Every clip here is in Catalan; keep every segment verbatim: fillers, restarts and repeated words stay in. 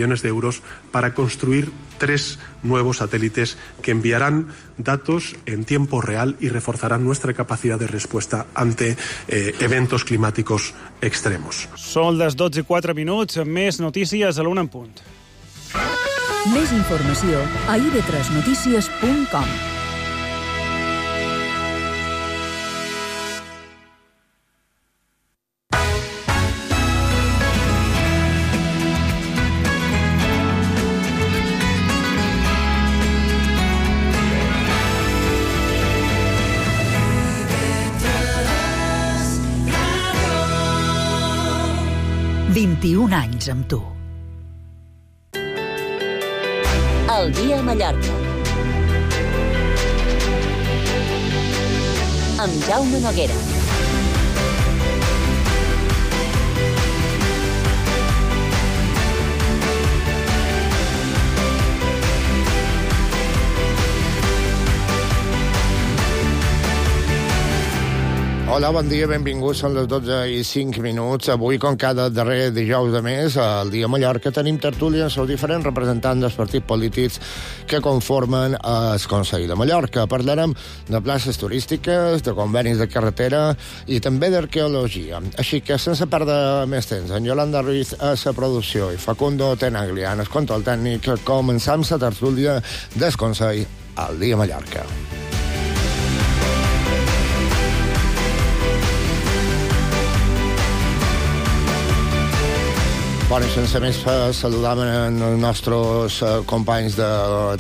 millones de euros para construir tres nuevos satélites que enviarán datos en tiempo real y reforzarán nuestra capacidad de respuesta ante eh, eventos climáticos extremos. Són les dotze i quatre minuts, més notícies a l'una en punt. Més informació a i ve tres notícies punt com. vint-i-un anys amb tu. El dia a Mallorca. Amb Jaume Noguera. Hola, bon dia, benvinguts. Són les dotze i cinc minuts. Avui, com cada darrer dijous de mes, al dia a Mallorca, tenim tertúlia amb els diferents representants dels partits polítics que conformen el Consell de Mallorca. Parlarem de places turístiques, de convenis de carretera i també d'arqueologia. Així que, sense perdre més temps, en Yolanda Ruiz a la producció i Facundo Tenaglia en el control tècnic, començam la tertúlia del Consell al dia a Mallorca. Bueno, sense més saludam els nostres companys de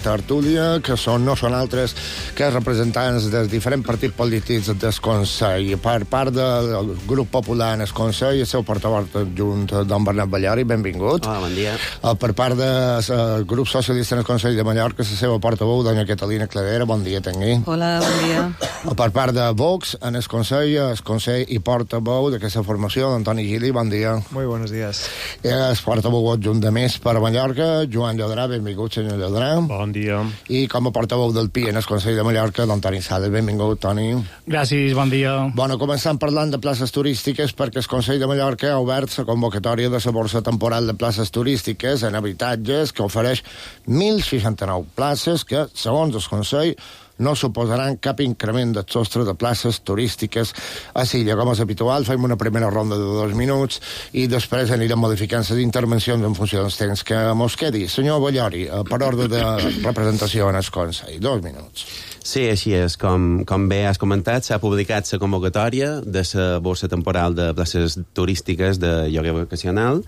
tertúlia, que són, no són altres que representants dels diferents partits polítics del Consell. Per part del grup popular en el Consell, el seu portaveu adjunt, don Bernat Ballori, benvingut. Hola, bon dia. Per part del grup socialista en el Consell de Mallorca, la seva portaveu, dona Catalina Cladera, bon dia, tengui. Hola, bon dia. Per part de Vox, en el Consell, el Consell i portaveu d'aquesta formació, d'Antoni Gili, bon dia. Muy buenos días. El portaveu adjunt de Més per Mallorca, Joan Llodrà, benvingut, senyor Llodrà. Bon dia. I com a portaveu del P I en el Consell de Mallorca, don Toni Sales, benvingut, Toni. Gràcies, bon dia. Bueno, començant parlant de places turístiques, perquè el Consell de Mallorca ha obert la convocatòria de la borsa temporal de places turístiques en habitatges, que ofereix mil seixanta-nou places que, segons el Consell, no suposaran cap increment del sostre de places turístiques a Silla. Com és habitual, fem una primera ronda de dos minuts i després anirem modificant les intervencions en funció dels temps que mos quedi. Senyor Ballori, per ordre de representació en el Consell, dos minuts. Sí, així és. Com, com bé has comentat, s'ha publicat la convocatòria de la borsa temporal de places turístiques de lloguer vacacional,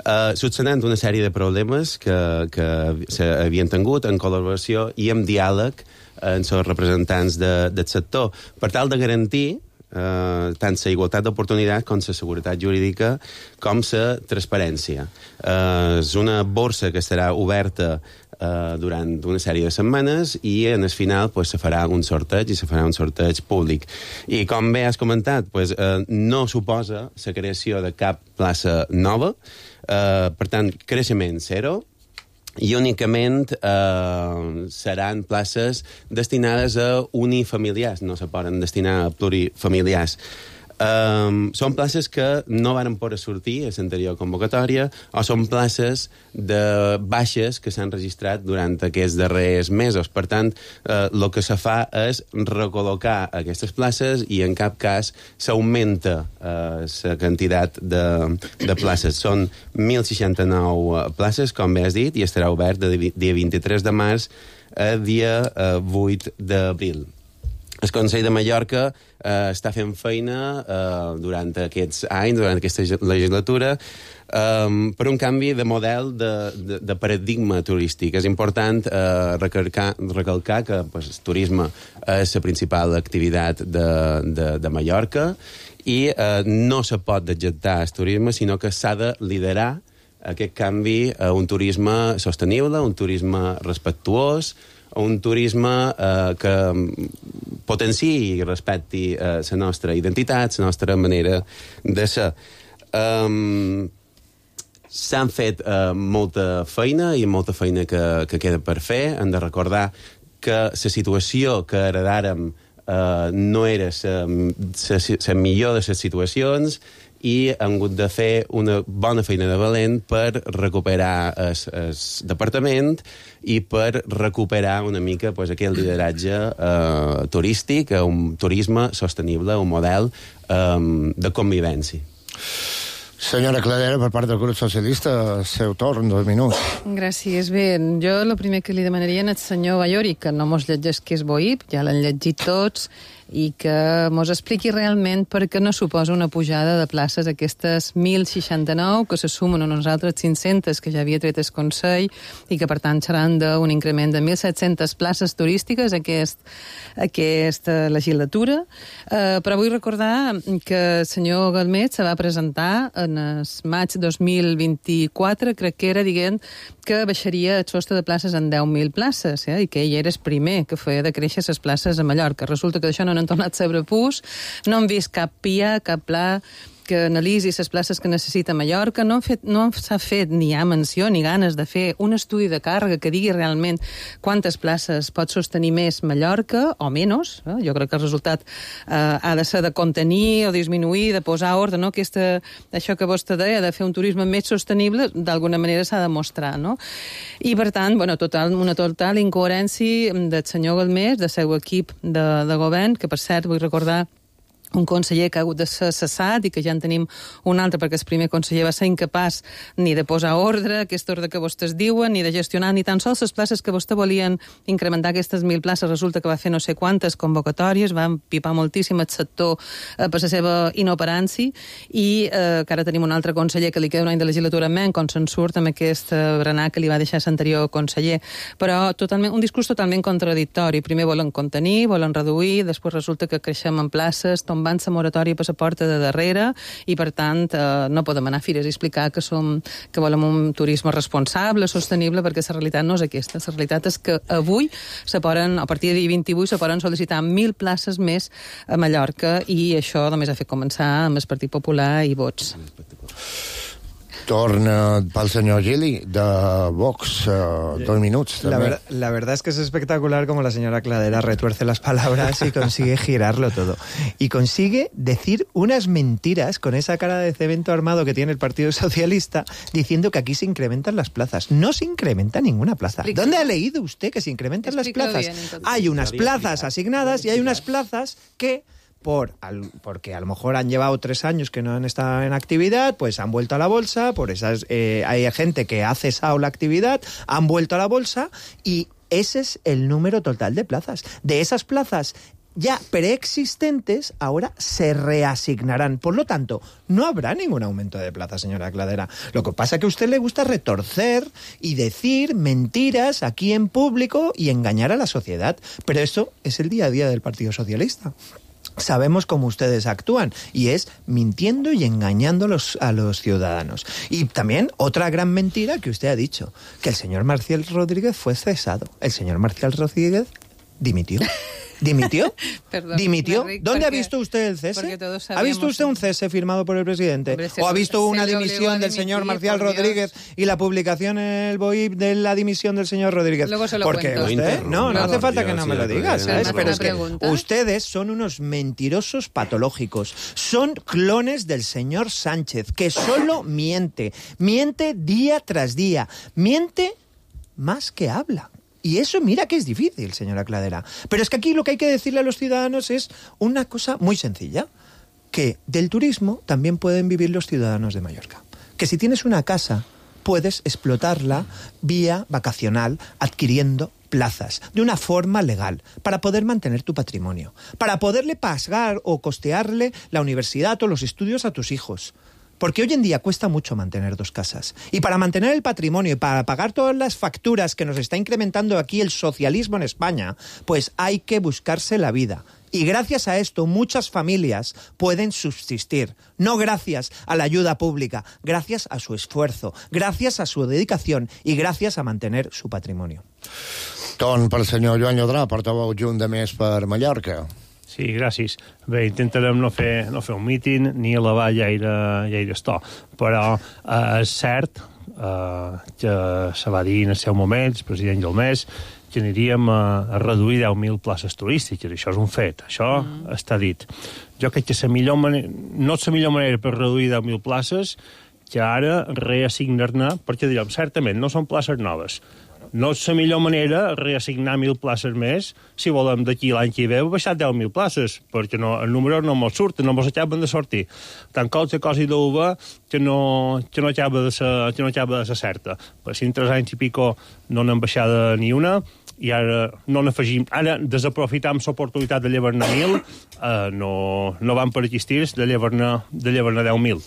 eh, subsanant una sèrie de problemes que, que s'havien tingut en col·laboració i en diàleg amb els representants de, del sector, per tal de garantir eh, tant la igualtat d'oportunitats com la seguretat jurídica com la transparència. Eh, és una borsa que estarà oberta eh, durant una sèrie de setmanes i en el final pues, se farà un sorteig i se farà un sorteig públic. I com bé has comentat, pues, eh, no suposa la creació de cap plaça nova, eh, per tant, creixement zero, i únicament eh, seran places destinades a unifamiliars, no se poden destinar a plurifamiliars. Um, són places que no van poder sortir a l'anterior convocatòria o són places de baixes que s'han registrat durant aquests darrers mesos. Per tant, el eh, que se fa és recol·locar aquestes places i en cap cas s'augmenta la eh, quantitat de, de places. Són mil seixanta-nou places, com bé has dit, i estarà obert de dia vint-i-tres de març a dia eh, vuit d'abril. El Consell de Mallorca eh, està fent feina eh, durant aquests anys, durant aquesta legislatura, eh, per un canvi de model de, de, de paradigma turístic. És important eh, recalcar, recalcar que pues, el turisme és la principal activitat de, de, de Mallorca i eh, no se pot dejectar el turisme, sinó que s'ha de liderar aquest canvi a un turisme sostenible, un turisme respectuós, un turisme eh, que potenciï i respecti la eh, nostra identitat, la nostra manera de ser. Um, S'han fet uh, molta feina i molta feina que, que queda per fer. Hem de recordar que la situació que heredàrem uh, no era la millor de les situacions i han hagut de fer una bona feina de valent per recuperar el, el departament i per recuperar una mica pues, aquell lideratge eh, turístic, un turisme sostenible, un model eh, de convivència. Senyora Cladera, per part del grup socialista, seu torn, dos minuts. Gràcies. Bé, jo el primer que li demanaria al senyor Ballori, que no mos llegeix que és Boip, ja l'han llegit tots, i que mos expliqui realment per què no suposa una pujada de places aquestes mil seixanta-nou, que se sumen a unes altres cinc-centes que ja havia tret el Consell i que, per tant, seran d'un increment de mil set-centes places turístiques aquest, aquesta legislatura. Eh, però vull recordar que el senyor Galmet se va presentar en el maig dos mil vint-i-quatre, crec que era, dient que baixaria el sostre de places en deu mil places, eh? I que ell era el primer que feia de créixer les places a Mallorca. Resulta que d'això no n'han tornat a saber pus, no han vist cap P I A, cap pla que analitzi les places que necessita Mallorca, no, han fet, no s'ha fet ni hi ha menció ni ganes de fer un estudi de càrrega que digui realment quantes places pot sostenir més Mallorca o menys. Eh? Jo crec que el resultat eh, ha de ser de contenir o disminuir, de posar ordre, no? Aquesta, això que vostè deia, de fer un turisme més sostenible, d'alguna manera s'ha de mostrar, no? I, per tant, bueno, total, una total incoherència del senyor Galmés, del seu equip de, de govern, que, per cert, vull recordar un conseller que ha hagut de ser cessat i que ja en tenim un altre perquè el primer conseller va ser incapaç ni de posar ordre, aquest ordre que vostès diuen, ni de gestionar ni tan sols les places que vostè volien incrementar aquestes mil places. Resulta que va fer no sé quantes convocatòries, va empipar moltíssim el sector eh, per la seva inoperància i eh, que ara tenim un altre conseller que li queda un any de legislatura menys, com se'n surt amb aquest eh, berenar que li va deixar l'anterior conseller. Però totalment, un discurs totalment contradictori. Primer volen contenir, volen reduir, després resulta que creixem en places, van la moratòria per la porta de darrere i, per tant, eh, no podem anar a fires i explicar que, som, que volem un turisme responsable, sostenible, perquè la realitat no és aquesta. La realitat és que avui, se poden, a partir de dia vint-i-vuit, se poden sol·licitar mil places més a Mallorca i això només ha fet començar amb el Partit Popular i vots. Torna pel senyor Gili, de Vox, uh, dos minutos. La, ver, la verdad es que es espectacular como la señora Cladera retuerce las palabras y consigue girarlo todo. Y consigue decir unas mentiras con esa cara de cemento armado que tiene el Partido Socialista, diciendo que aquí se incrementan las plazas. No se incrementa ninguna plaza. Explica. ¿Dónde ha leído usted que se incrementan Explica las plazas? Bien, hay unas plazas asignadas y hay unas plazas que... Por, al, porque a lo mejor han llevado tres años que no han estado en actividad, pues han vuelto a la bolsa, por esas eh, hay gente que ha cesado la actividad, han vuelto a la bolsa y ese es el número total de plazas. De esas plazas ya preexistentes, ahora se reasignarán. Por lo tanto, no habrá ningún aumento de plazas, señora Cladera. Lo que pasa es que a usted le gusta retorcer y decir mentiras aquí en público y engañar a la sociedad. Pero eso es el día a día del Partido Socialista. Sabemos cómo ustedes actúan y es mintiendo y engañando a los, a los ciudadanos. Y también otra gran mentira que usted ha dicho, que el señor Marcial Rodríguez fue cesado. El señor Marcial Rodríguez dimitió. ¿Dimitió? Perdón, ¿Dimitió? Rick, ¿Dónde porque, ha visto usted el cese? ¿Ha visto usted un cese firmado por el presidente? Hombre, ¿O ha visto una dimisión del dimitir, señor Marcial Rodríguez y la publicación en el B O I P de la dimisión del señor Rodríguez? Luego se lo Porque cuento. usted, no, no hace falta que no me lo digas, ¿sabes? Sí, Pero es que pregunta. ustedes son unos mentirosos patológicos. Son clones del señor Sánchez, que solo miente. Miente día tras día. Miente más que habla. Y eso, mira que es difícil, señora Cladera. Pero es que aquí lo que hay que decirle a los ciudadanos es una cosa muy sencilla. Que del turismo también pueden vivir los ciudadanos de Mallorca. Que si tienes una casa, puedes explotarla vía vacacional, adquiriendo plazas, de una forma legal, para poder mantener tu patrimonio. Para poderle pagar o costearle la universidad o los estudios a tus hijos. Porque hoy en día cuesta mucho mantener dos casas. Y para mantener el patrimonio y para pagar todas las facturas que nos está incrementando aquí el socialismo en España, pues hay que buscarse la vida. Y gracias a esto muchas familias pueden subsistir. No gracias a la ayuda pública, gracias a su esfuerzo, gracias a su dedicación y gracias a mantener su patrimonio. Torn pel senyor Joan Llodrà, portaveu junt de Més per Mallorca. Sí, gràcies. Bé, intentarem no fer, no fer un míting ni elevar gaire, gaire esto, però eh, és cert eh, que se va dir en el seu moment, el president Gelmés, que aniríem a, a reduir deu mil places turístiques. Això és un fet, això mm. està dit. Jo crec que la millor manera, no és la millor manera per reduir deu mil places que ara reassignar-ne, perquè direm, certament, no són places noves. No és la millor manera reassignar mil places més si volem d'aquí l'any que ve baixar deu mil places, perquè no, el número no mos surten, no mos acaben de sortir. Tant qualsevol cosa d'uva que no, que no acaba de ser, que no acaba de ser certa. Per si en tres anys i pico no n'hem baixada ni una, i ara no n'afegim, ara desaprofitam l'oportunitat de llevar-ne mil, eh, no, no van per aquí estirs de llevar-ne de llevar-ne deu mil.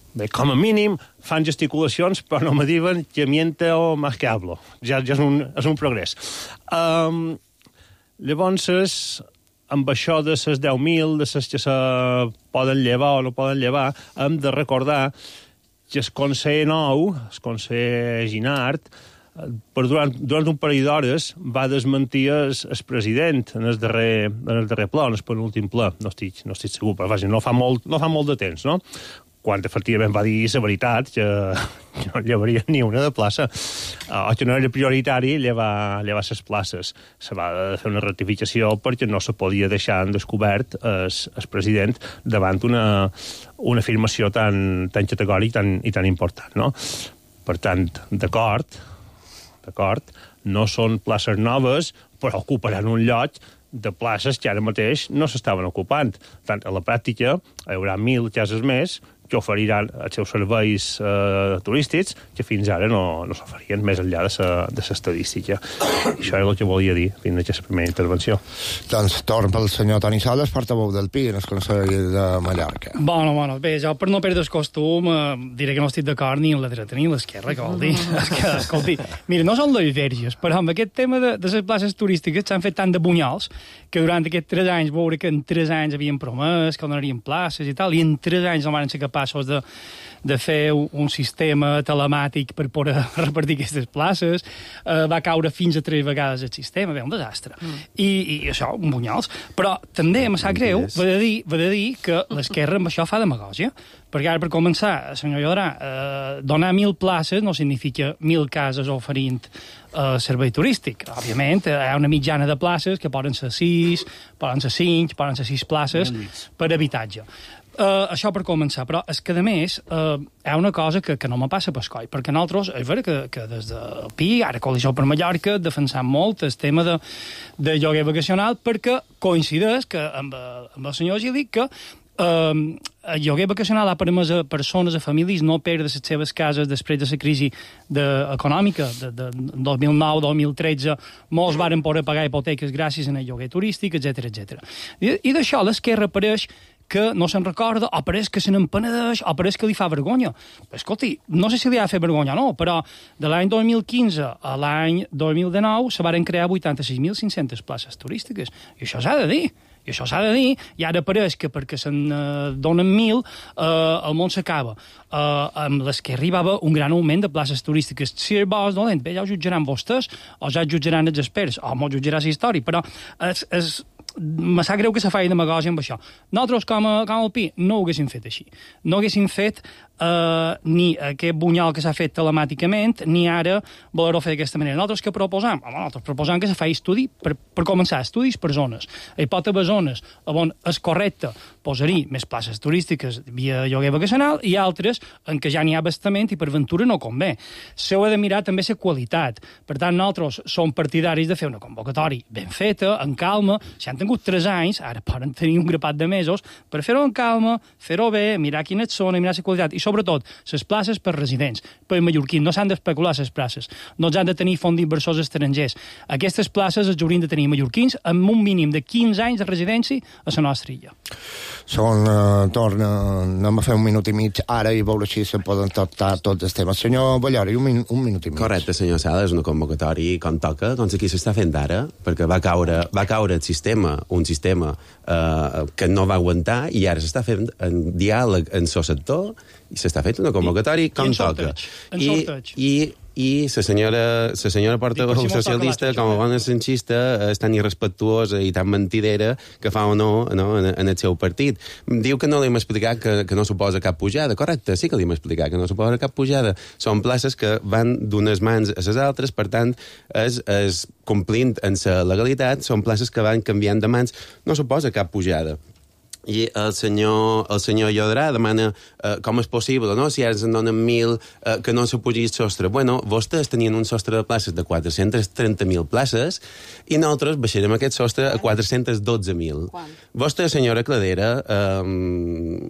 Bé, com a mínim, fan gesticulacions, però no me diuen que miente o más que hablo. Ja, ja és, un, és un progrés. Um, llavors, amb això de les deu mil, de les que se poden llevar o no poden llevar, hem de recordar que el conseller nou, el conseller Ginart, per durant, durant un parell d'hores va desmentir el, el president en el darrer, en el darrer ple, en el penúltim ple. No estic, no estic segur, però vaja, no fa molt, no fa molt de temps, no? Quan efectivament va dir la veritat, que, que no llevaria ni una de plaça, o que no era prioritari llevar, llevar les places. Se va fer una rectificació perquè no se podia deixar en descobert el, el president davant una, una afirmació tan, tan categòrica tan, i tan important, no? Per tant, d'acord, d'acord, no són places noves, però ocuparan un lloc de places que ara mateix no s'estaven ocupant. Tant, a la pràctica, hi haurà mil cases més que oferiran els seus serveis eh, turístics que fins ara no, no s'oferien més enllà de l'estadística. Això és el que volia dir fins a aquesta primera intervenció. Doncs torn pel senyor Toni Sales, portaveu del P I en el Consell de Mallorca. Bueno, bueno, bé, jo per no perdre el costum eh, diré que no estic d'acord ni en la dreta ni en l'esquerra, que vol dir. És que, escolti, mira, no són les verges, però amb aquest tema de, de les places turístiques s'han fet tant de bunyols que durant aquests tres anys veure que en tres anys havien promès que donarien places i tal, i en tres anys no van ser capaços de, de fer un sistema telemàtic per poder repartir aquestes places, eh, va caure fins a tres vegades el sistema, bé, un desastre. Mm. I, I això, un bunyols. Però també em sap greu, va de dir, va de dir que l'esquerra amb això fa demagògia, perquè ara, per començar, senyor Llodrà, eh, donar mil places no significa mil cases oferint eh, servei turístic. Òbviament, hi ha una mitjana de places que poden ser sis, poden ser cinc, poden ser sis places per habitatge. Uh, això per començar, però és que, a més, uh, hi ha una cosa que, que no me passa per coll, perquè nosaltres, és vera que, que des del P I, ara Coalició per Mallorca, defensam molt el tema de, de lloguer vacacional, perquè coincideix que, amb, amb el senyor Gili, que Uh, el lloguer vacacional ha permès a persones, a famílies, no perdre les seves cases després de la crisi de, econòmica de, de dos mil nou dos mil tretze. Molts varen poder pagar hipoteques gràcies al lloguer turístic, etcètera etcètera. I, i d'això l'esquerra apareix que no se'n recorda, o pareix que se n'empenedeix, o pareix que li fa vergonya. Però, escolti, no sé si li ha fet vergonya o no, però de l'any dos mil quinze a l'any dos mil dinou se varen crear vuitanta-sis mil cinc-centes places turístiques. I això s'ha de dir. I això s'ha de dir, i ara pareix que perquè se'n eh, donen mil, eh, el món s'acaba. Eh, amb les que arribava un gran augment de places turístiques. Si és bo o és dolent, bé, ja ho jutjaran vostès, o ja jutjaran els experts, o m'ho jutjarà la història, però és, és, me sap greu que se faci demagògia amb això. Nosaltres, com a, com a P I, no ho haguéssim fet així. No haguéssim fet eh, ni aquest bunyol que s'ha fet telemàticament, ni ara voler-ho fer d'aquesta manera. Nosaltres què proposam? Home, nosaltres proposam que se faci estudi, per, per començar, estudis per zones. Hi pot haver zones on és correcte posar-hi més places turístiques via lloguer vacacional i altres en què ja n'hi ha bastament i per ventura no convé. S'ho ha de mirar també la qualitat. Per tant, nosaltres som partidaris de fer una convocatòria ben feta, en calma. Si han tingut tres anys, ara poden tenir un grapat de mesos, per fer-ho en calma, fer-ho bé, mirar quines són, mirar la qualitat i, sobretot, les places per residents, per mallorquins. No s'han d'especular les places, no s'han de tenir fons d'inversors estrangers. Aquestes places els haurien de tenir mallorquins amb un mínim de quinze anys de residència a la nostra illa. Són, uh, torna, anem a fer un minut i mig ara i veure si se poden tractar tots els temes. Senyor Ballori, un, min un minut i mig. Correcte, senyor Sala, és una convocatòria com toca, doncs aquí s'està fent ara, perquè va caure, va caure el sistema, un sistema eh, que no va aguantar, i ara s'està fent en diàleg en el sector, i s'està fent una convocatòria com I, toca. I, I, i la senyora, la senyora portaveu Dic, si socialista, com a bona sanxista, és tan irrespectuosa i tan mentidera que fa o no, no en, en el seu partit. Diu que no li hem explicat que, que no suposa cap pujada. Correcte, sí que li hem explicat que no suposa cap pujada. Són places que van d'unes mans a les altres, per tant, és, és complint en la legalitat, són places que van canviant de mans, no suposa cap pujada. I el senyor, el senyor Llodrà demana eh, com és possible, no? Si ara se'n donen mil, eh, que no se pugi el sostre. Bueno, vostès tenien un sostre de places de quatre-cents trenta mil places i nosaltres baixarem aquest sostre a quatre-cents dotze mil. Vostè, senyora Cladera, eh,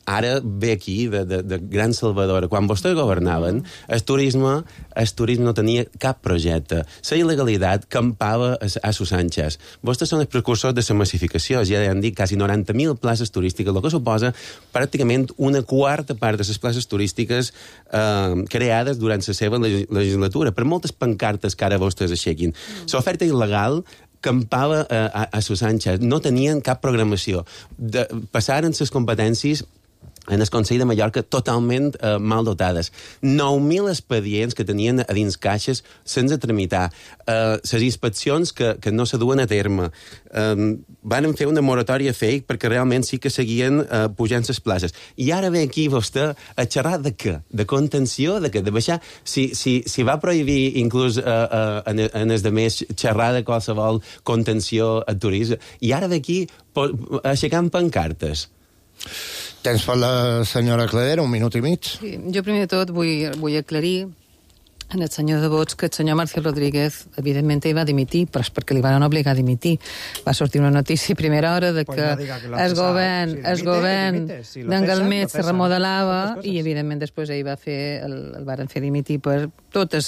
ara ve aquí de, de, de gran salvadora. Quan vostès governaven, el turisme, el turisme no tenia cap projecte. La il·legalitat campava a, a sus anxes. Vostès són els precursors de la massificació. Ja han dit quasi noranta mil places turístiques, el que suposa pràcticament una quarta part de les places turístiques eh, creades durant la seva legislatura, per moltes pancartes que ara vostès aixequin. Mm. L'oferta il·legal campava eh, a, a sus anxes, no tenien cap programació. De, passaren les competències en el Consell de Mallorca totalment eh, mal dotades. nou mil expedients que tenien a dins caixes sense tramitar. Les eh, inspeccions que, que no se duen a terme. Eh, van fer una moratòria fake perquè realment sí que seguien eh, pujant les places. I ara ve aquí vostè a xerrar de què? De contenció? De què? De baixar? Si, si, si va prohibir inclús eh, eh, en, en els demés xerrar de qualsevol contenció al turisme, i ara ve aquí aixecant pancartes. Tens per la senyora Cladera un minut i mig? Sí, jo primer de tot vull, vull aclarir en el senyor de Vots que el senyor Marcel Rodríguez evidentment ell va dimitir, però és perquè li van obligar a dimitir. Va sortir una notícia a primera hora de que el govern, el govern d'en Galmet se remodelava i evidentment després ell va fer el, el varen fer dimitir per tot el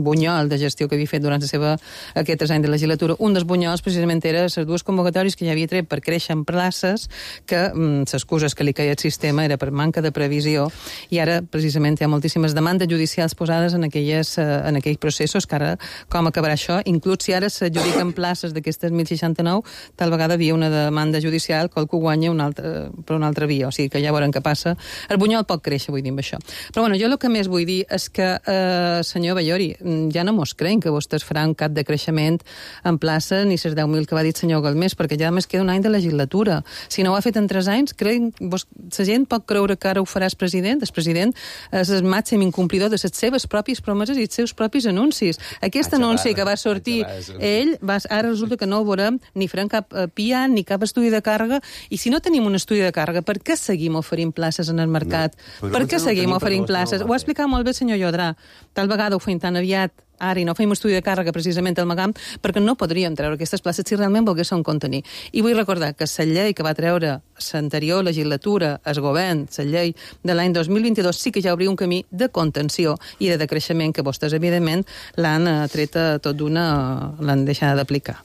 bunyol de gestió que havia fet durant la seva aquests anys de legislatura. Un dels bunyols precisament era les dues convocatòries que ja havia tret per créixer en places, que l'excusa que li caia el sistema era per manca de previsió, i ara precisament hi ha moltíssimes demandes judicials posades en aquelles en aquells processos, que ara com acabarà això, inclús si ara s'adjudiquen places d'aquestes mil seixanta-nou, tal vegada havia una demanda judicial que algú guanya una altra, per una altra via, o sigui que ja veurem què passa. El bunyol pot créixer, vull dir, amb això. Però bueno, jo el que més vull dir és que, eh, senyor Ballori, ja no mos creiem que vostès faran cap de creixement en plaça ni les deu mil que va dir el senyor Galmés, perquè ja més queda un any de legislatura. Si no ho ha fet en tres anys, creiem, vos, la gent pot creure que ara ho farà el president. El president és el màxim incomplidor de les seves pròpies promeses i els seus propis anuncis. Aquest ah, anunci que va sortir ell, va, ara resulta que no ho veurem ni farem cap uh, P I A ni cap estudi de càrrega, i si no tenim un estudi de càrrega, per què seguim oferint places en el mercat? No. Per què seguim oferint places? Ho ha explicat molt bé el senyor Llodrà. Tal vegada ho fem tan aviat ara i no fem estudi de càrrega precisament al Magam, perquè no podríem treure aquestes places si realment volguéssim contenir. I vull recordar que la llei que va treure l'anterior legislatura, el govern, la llei de l'any dos mil vint-i-dos, sí que ja obria un camí de contenció i de decreixement que vostès, evidentment, l'han tret tot d'una, l'han deixat d'aplicar.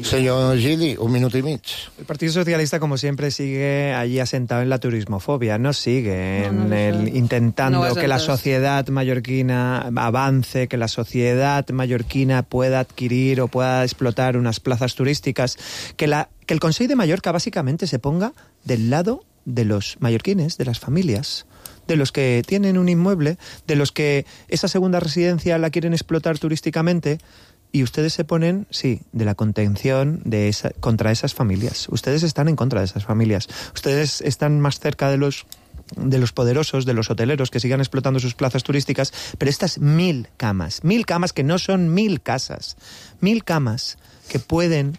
Señor Gili, un minuto y medio. El Partido Socialista, como siempre, sigue allí asentado en la turismofobia, no sigue en no, no, el, intentando no que la sociedad mallorquina avance, que la sociedad mallorquina pueda adquirir o pueda explotar unas plazas turísticas, que, la, que el Consell de Mallorca básicamente se ponga del lado de los mallorquines, de las familias, de los que tienen un inmueble, de los que esa segunda residencia la quieren explotar turísticamente. Y ustedes se ponen, sí, de la contención de esa, contra esas familias. Ustedes están en contra de esas familias. Ustedes están más cerca de los de los poderosos, de los hoteleros que sigan explotando sus plazas turísticas, pero estas mil camas, mil camas que no son mil casas, mil camas que pueden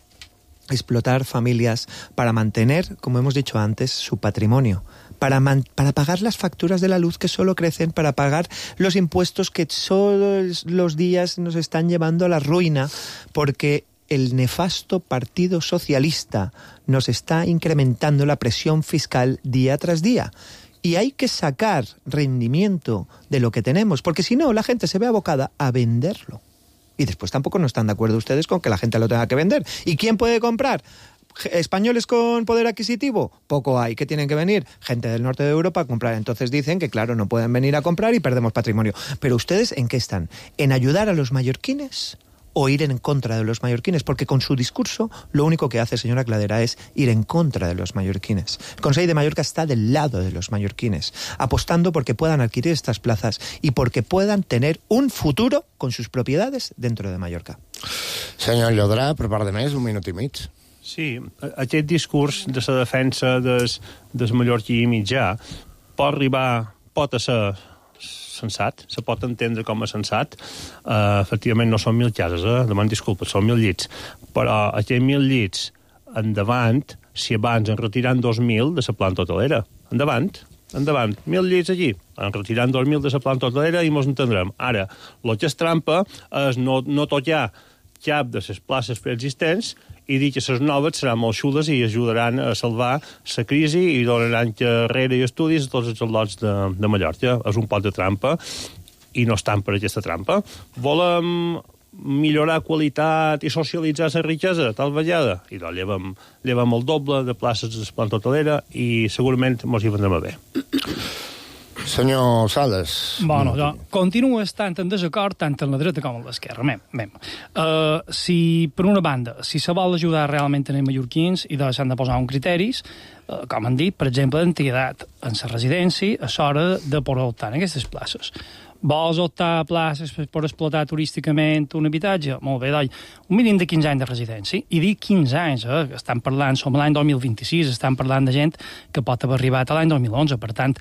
explotar familias para mantener, como hemos dicho antes, su patrimonio, para, man, para pagar las facturas de la luz que solo crecen, para pagar los impuestos que todos los días nos están llevando a la ruina, porque el nefasto Partido Socialista nos está incrementando la presión fiscal día tras día. Y hay que sacar rendimiento de lo que tenemos, porque si no, la gente se ve abocada a venderlo. Y después tampoco no están de acuerdo ustedes con que la gente lo tenga que vender. ¿Y quién puede comprar? ¿Españoles con poder adquisitivo? Poco hay. ¿Qué tienen que venir? Gente del norte de Europa a comprar. Entonces dicen que, claro, no pueden venir a comprar y perdemos patrimonio. Pero ¿ustedes en qué están? ¿En ayudar a los mallorquines o ir en contra de los mallorquines, porque con su discurso lo único que hace, señora Cladera, es ir en contra de los mallorquines. El Consell de Mallorca está del lado de los mallorquines, apostando porque puedan adquirir estas plazas y porque puedan tener un futuro con sus propiedades dentro de Mallorca. Senyor Llodrà, per part de més, un minut i mig. Sí, aquest discurs de la defensa des, des mallorquí mitjà pot arribar, pot ser sensat, se pot entendre com a sensat. Uh, efectivament, no són mil cases, eh? Deman disculpes, són mil llits. Però aquests mil llits, endavant, si abans en retiran dos mil de la planta hotelera. Endavant, endavant. Mil llits allí. En retiran dos mil de la planta hotelera i mos entendrem. Ara, el que és trampa és no, no tocar cap de les places preexistents i dir que les noves seran molt xules i ajudaran a salvar la crisi i donaran carrera i estudis a tots els al·lots de, de Mallorca. És un pot de trampa i no estan per aquesta trampa. Volem millorar qualitat i socialitzar la riquesa, tal vegada. I doncs llevem, llevem el doble de places de la planta hotelera i segurament mos hi vendrem a bé. Senyor Sales. Bueno, jo continuo estant en desacord tant en la dreta com en l'esquerra. Mem, mem. Uh, si, per una banda, si se vol ajudar realment a els mallorquins i doncs s'han de posar uns criteris, uh, com han dit, per exemple, d'antiguitat en la residència, és hora de poder optar en aquestes places. Vols optar a places per, per explotar turísticament un habitatge? Molt bé, doncs, un mínim de quinze anys de residència. I dic quinze anys, eh? Estan parlant, som l'any dos mil vint-i-sis, estan parlant de gent que pot haver arribat a l'any dos mil onze, per tant,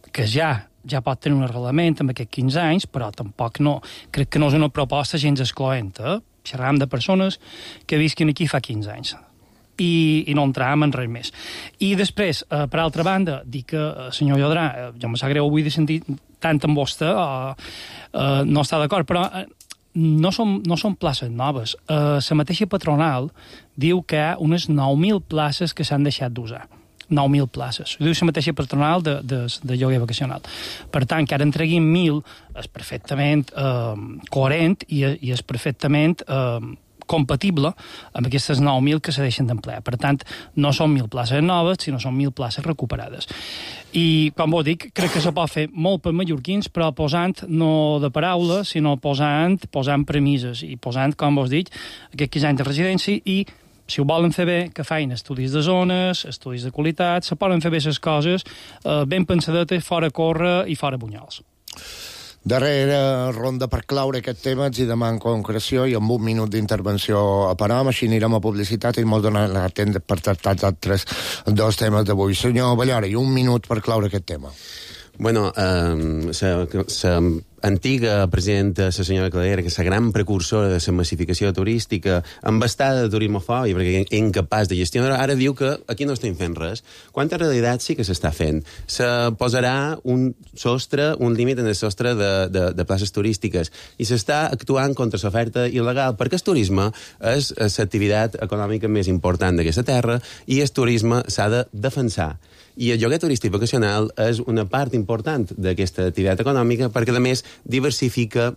que ja ja pot tenir un arrelament amb aquests quinze anys, però tampoc no, crec que no és una proposta gens excloent. Eh? Xerram de persones que visquin aquí fa quinze anys. I, i no entràvem en res més. I després, eh, per altra banda, dic que, eh, senyor Llodrà, eh, jo me sap greu avui de sentir tant amb vostè, eh, eh, no està d'acord, però eh, no, són, no són places noves. Eh, la mateixa patronal diu que hi ha unes nou mil places que s'han deixat d'usar. nou mil places. Ho diu la mateixa patronal de, de, de lloguer vacacional. Per tant, que ara en treguin mil és perfectament eh, coherent i, i és perfectament eh, compatible amb aquestes nou mil que se deixen d'emplear. Per tant, no són mil places noves, sinó són mil places recuperades. I, com vos dic, crec que se pot fer molt per mallorquins, però posant no de paraula, sinó posant, posant premises i posant, com vos dic, aquests quinze anys de residència i si ho volen fer bé, que feien estudis de zones, estudis de qualitat, se poden fer bé les coses, eh, ben pensadetes, fora córrer i fora bunyols. Darrera ronda per claure aquest tema, els hi demano concreció i amb un minut d'intervenció a Param, així anirem a publicitat i molt donar la temps per tractar els altres dos temes d'avui. Senyor Ballora, i un minut per claure aquest tema. Bueno, eh, la antiga presidenta, la senyora Cladera, que és la gran precursora de la massificació turística, embastada de turismofòbia, perquè és incapaç de gestionar, ara diu que aquí no estem fent res. Quan en realitat sí que s'està fent. Se posarà un sostre, un límit en el sostre de, de, de places turístiques i s'està actuant contra l'oferta il·legal, perquè el turisme és l'activitat econòmica més important d'aquesta terra i el turisme s'ha de defensar. I el lloguer turístic vacacional és una part important d'aquesta activitat econòmica perquè, a més, diversifica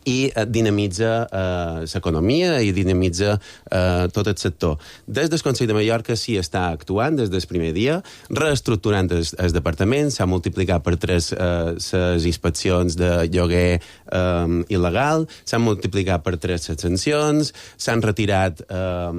i dinamitza eh, l'economia i dinamitza eh, tot el sector. Des del Consell de Mallorca s'hi està actuant des del primer dia, reestructurant el, el departament, s'ha multiplicat per tres les eh, inspeccions de lloguer eh, il·legal, s'han multiplicat per tres les sancions, s'han retirat eh,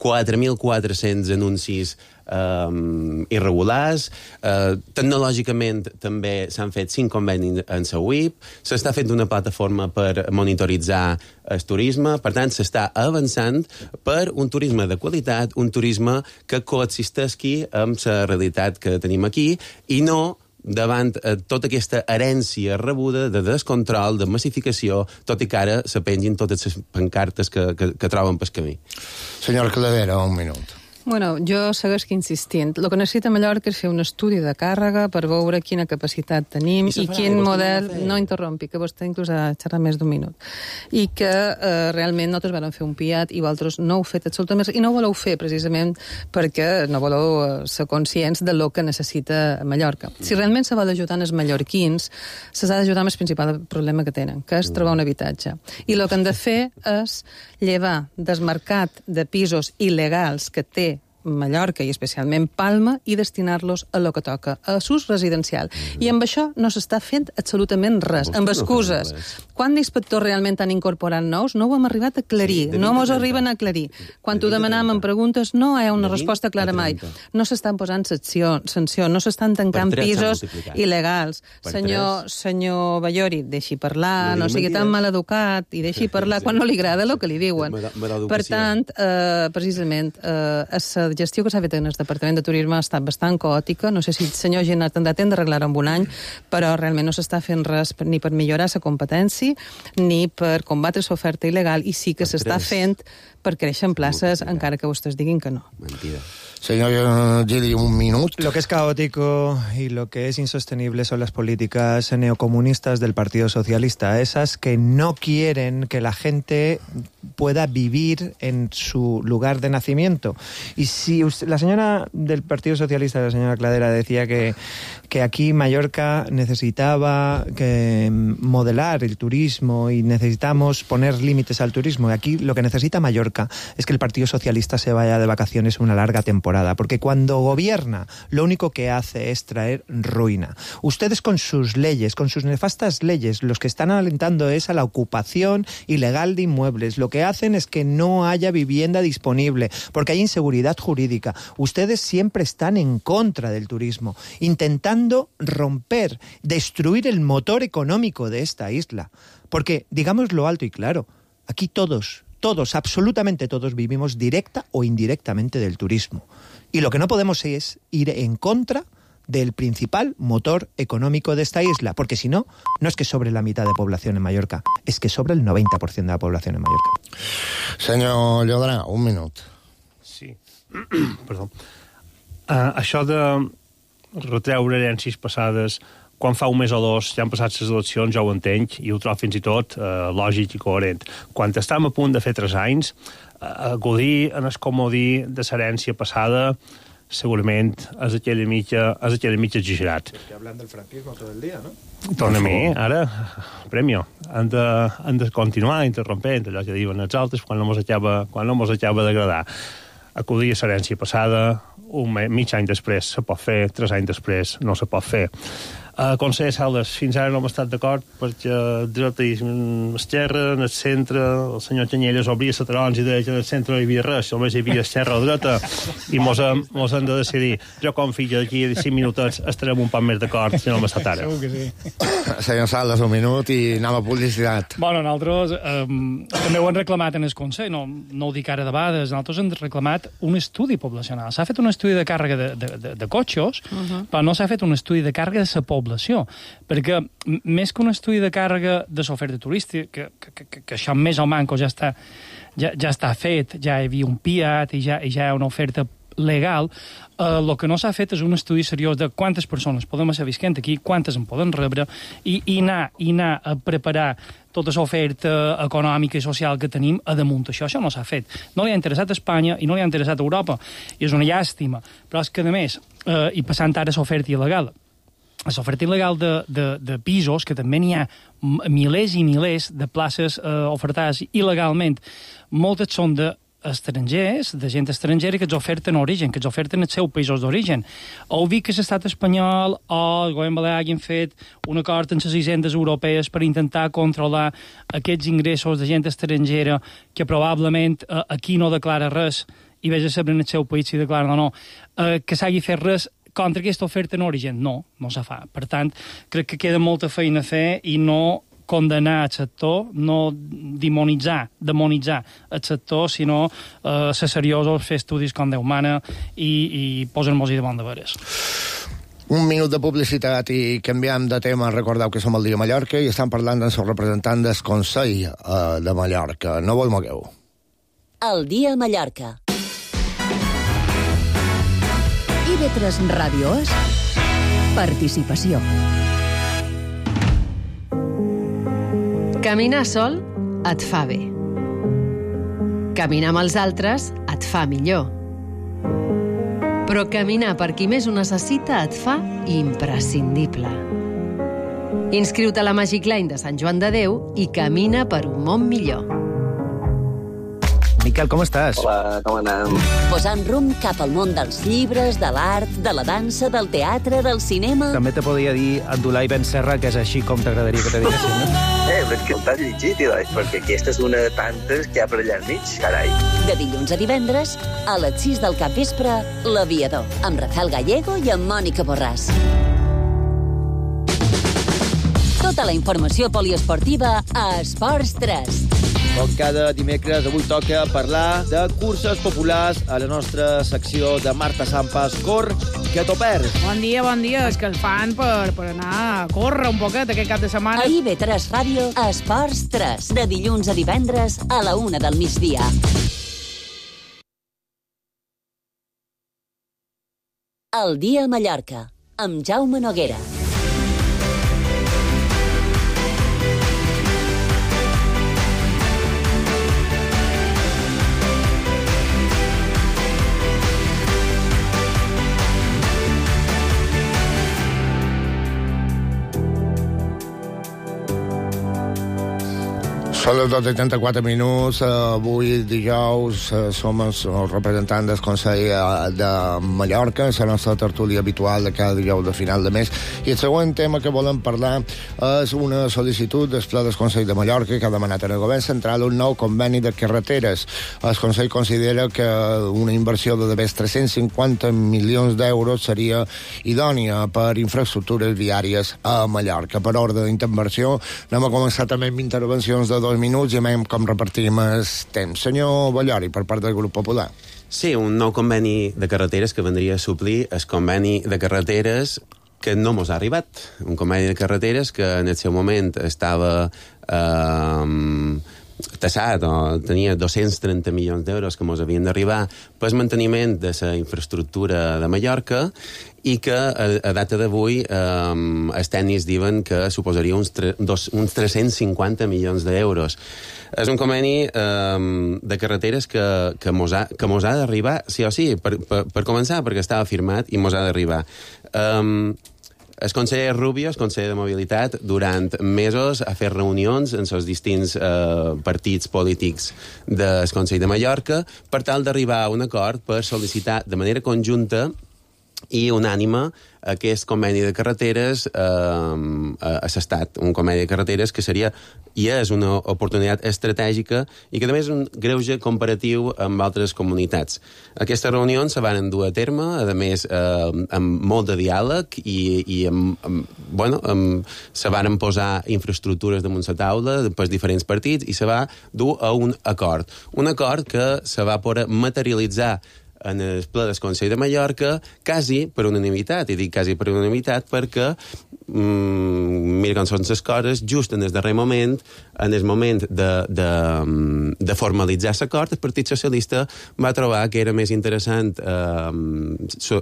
quatre mil quatre-cents anuncis Um, irregulars. Uh, tecnològicament també s'han fet cinc convenis en la U I P, s'està fent una plataforma per monitoritzar el turisme, per tant s'està avançant per un turisme de qualitat, un turisme que coexisteixi amb la realitat que tenim aquí i no davant eh, tota aquesta herència rebuda de descontrol, de massificació, tot i que ara se pengin totes les pancartes que, que, que troben pel camí. Senyor Cladera, un minut. Bueno, jo segueix insistint. El que necessita Mallorca és fer un estudi de càrrega per veure quina capacitat tenim i, i quin model... No interrompi, que vostè inclús ha xerrat més d'un minut. I que eh, realment nosaltres vam fer un P I A T i vosaltres no heu fet absolutament res. I no ho voleu fer precisament perquè no voleu eh, ser conscients de lo que necessita Mallorca. Si realment se vol ajudar els mallorquins, se s'ha d'ajudar amb el principal problema que tenen, que és trobar un habitatge. I el que han de fer és llevar del mercat de pisos il·legals que té Mallorca i especialment Palma i destinar-los a lo que toca, a l'ús residencial. I amb això no s'està fent absolutament res, amb excuses. quants inspectors realment han incorporat nous? No ho hem arribat a aclarir, sí, no mos arriben a aclarir. Quan t'ho demanam en preguntes, no hi ha una resposta clara mai. No s'estan posant sanció, sanció no s'estan tancant pisos il·legals. Senyor, senyor Ballori, deixi parlar, no sigui tan maleducat, i deixi parlar quan no li agrada el que li diuen. Per tant, eh, precisament, eh, la gestió que s'ha fet en el Departament de Turisme ha estat bastant caòtica. No sé si el senyor Giner tindrà temps d'arreglar en un any, però realment no s'està fent res ni per millorar la competència ni per combatre l'oferta il·legal, i sí que s'està fent per créixer en places, encara que vostès diguin que no. Mentida. Señor Gili, un minuto. Lo que es caótico y lo que es insostenible son las políticas neocomunistas del Partido Socialista, esas que no quieren que la gente pueda vivir en su lugar de nacimiento. Y si usted, la señora del Partido Socialista, la señora Cladera, decía que, que aquí Mallorca necesitaba que modelar el turismo y necesitamos poner límites al turismo, y aquí lo que necesita Mallorca es que el Partido Socialista se vaya de vacaciones una larga temporada, porque cuando gobierna lo único que hace es traer ruina. Ustedes con sus leyes, con sus nefastas leyes, los que están alentando es a la ocupación ilegal de inmuebles. Lo que hacen es que no haya vivienda disponible, porque hay inseguridad jurídica. Ustedes siempre están en contra del turismo, intentando romper, destruir el motor económico de esta isla. Porque, digámoslo alto y claro, aquí todos... Todos, absolutamente todos, vivimos directa o indirectamente del turismo. Y lo que no podemos es ir en contra del principal motor económico de esta isla, porque si no, no es que sobre la mitad de población en Mallorca, es que sobre el noventa por ciento de la población en Mallorca. Senyor Llodrà, un minut. Sí, perdó. Uh, això de retreure herències passades... Quan fa un mes o dos ja han passat les eleccions, ja ho entenc, i ho trobo fins i tot eh, lògic i coherent. Quan estàvem a punt de fer tres anys, eh, godir en el comodí de l'herència passada segurament és aquella mitja, és aquella mitja exagerat. Que hablan del franquismo todo el día, ¿no? Torna-m'hi, ara, premio. Han de, han de continuar interrompent allò que diuen els altres quan no mos acaba, quan no mos acaba d'agradar. Acudir a l'herència passada, un me, mig any després se pot fer, tres anys després no se pot fer. Uh, conseller Sales, fins ara no hem estat d'acord perquè dreta i esquerra, en el centre, el senyor Canyelles obria la taronja i deia que en el centre no hi havia res, només hi havia esquerra o dreta, i mos hem, mos hem de decidir. Jo confio que d'aquí a cinc minutets estarem un poc més d'acord si no hem estat ara. Segur que sí. Senyor Sales, un minut i anem a publicitat. Bueno, nosaltres um, també ho hem reclamat en el Consell, no, no ho dic ara de vegades, nosaltres hem reclamat un estudi poblacional. S'ha fet un estudi de càrrega de, de, de, de cotxos, uh -huh. però no s'ha fet un estudi de càrrega de la població, perquè més que un estudi de càrrega de l'oferta turística, que, que, que, que això més o manco ja està, ja, ja està fet, ja hi havia un P I A T i ja, i ja hi ha una oferta legal, el eh, que no s'ha fet és un estudi seriós de quantes persones podem estar visquent aquí, quantes en poden rebre, i, i, anar, i anar a preparar tota l'oferta econòmica i social que tenim a damunt. Això, això no s'ha fet. No li ha interessat a Espanya i no li ha interessat a Europa, i és una llàstima. Però és que, a més, eh, i passant ara a l'oferta il·legal, l'oferta il·legal de, de, de pisos, que també n'hi ha milers i milers de places eh, ofertades il·legalment. Moltes són d'estrangers, de gent estrangera que els oferten origen, que els oferten els seus països d'origen. Heu vist que l'estat espanyol o el govern balear hagin fet un acord amb les hisendes europees per intentar controlar aquests ingressos de gent estrangera que probablement eh, aquí no declara res i vés a saber en el seu país si declaren o no, eh, que s'hagi fet res contra aquesta oferta en origen. No, no se fa. Per tant, crec que queda molta feina a fer i no condenar el sector, no demonitzar, demonitzar el sector, sinó eh, ser seriosos, fer estudis com Déu mana i, i posar-nos-hi de bon de veres. Un minut de publicitat i canviem de tema. Recordeu que som al Dia Mallorca i estan parlant amb el representant del Consell eh, de Mallorca. No vos mogueu. El Dia Mallorca. I V tres Ràdio és participació. Caminar sol et fa bé. Caminar amb els altres et fa millor. Però caminar per qui més ho necessita et fa imprescindible. Inscriu-te a la Magic Line de Sant Joan de Déu i camina per un món millor. Miquel, com estàs? Hola, com anem? Posant rumb cap al món dels llibres, de l'art, de la dansa, del teatre, del cinema... També te podria dir Abdulai Ben Serra, que és així com t'agradaria que te diguessin, no? Eh, però és que no t'has llegit, Eloi, perquè aquesta és una de tantes que hi ha per allà enmig, carai. De dilluns a divendres, a les sis del capvespre, L'Aviador, amb Rafael Gallego i amb Mònica Borràs. Tota la informació poliesportiva a Esports tres. Com cada dimecres, avui toca parlar de curses populars a la nostra secció de Marta Sampas. Cor, que t'ho perds. Bon dia, bon dia. És que els fan per, per anar a córrer un poquet aquest cap de setmana. A I B tres Ràdio, Esports tres, de dilluns a divendres a la una del migdia. El dia a Mallorca, amb Jaume Noguera. Són les dotze i trenta-quatre minuts. Avui, dijous, som els representants del Consell de Mallorca, la nostra tertúlia habitual de cada dijous de final de mes. I el següent tema que volem parlar és una sol·licitud del Ple del Consell de Mallorca que ha demanat al Govern Central un nou conveni de carreteres. El Consell considera que una inversió de més tres-cents cinquanta milions d'euros seria idònia per infraestructures viàries a Mallorca. Per ordre d'intervenció, anem a començar també amb intervencions de dos minuts i veiem com repartim el temps. Senyor Ballori, per part del grup popular. Sí, un nou conveni de carreteres que vendria a suplir el conveni de carreteres que no mos ha arribat. Un conveni de carreteres que en el seu moment estava eh, tassat, o tenia dos-cents trenta milions d'euros que mos havien d'arribar pel manteniment de la infraestructura de Mallorca i que a, a data d'avui eh, els tècnics diuen que suposaria uns, tre, dos, uns tres-cents cinquanta milions d'euros. És un conveni eh, de carreteres que, que mos ha, que mos ha d'arribar, sí o sí, per, per, per començar, perquè estava firmat i mos ha d'arribar. Eh, El conseller Rubio, el conseller de Mobilitat, durant mesos ha fet reunions en els distints eh, partits polítics del Consell de Mallorca per tal d'arribar a un acord per sol·licitar de manera conjunta i unànime aquest conveni de carreteres eh, a l'Estat. Un conveni de carreteres que seria i és una oportunitat estratègica i que també és un greuge comparatiu amb altres comunitats. Aquestes reunions se van dur a terme, a més, eh, amb molt de diàleg i, i amb, amb, bueno, amb, se van posar infraestructures damunt la taula per diferents partits i se va dur a un acord. Un acord que se va poder materialitzar en el ple del Consell de Mallorca quasi per unanimitat, i dic quasi per unanimitat perquè mm, mira com són les coses, just en el darrer moment, en el moment de, de, de formalitzar l'acord, el Partit Socialista va trobar que era més interessant eh, so,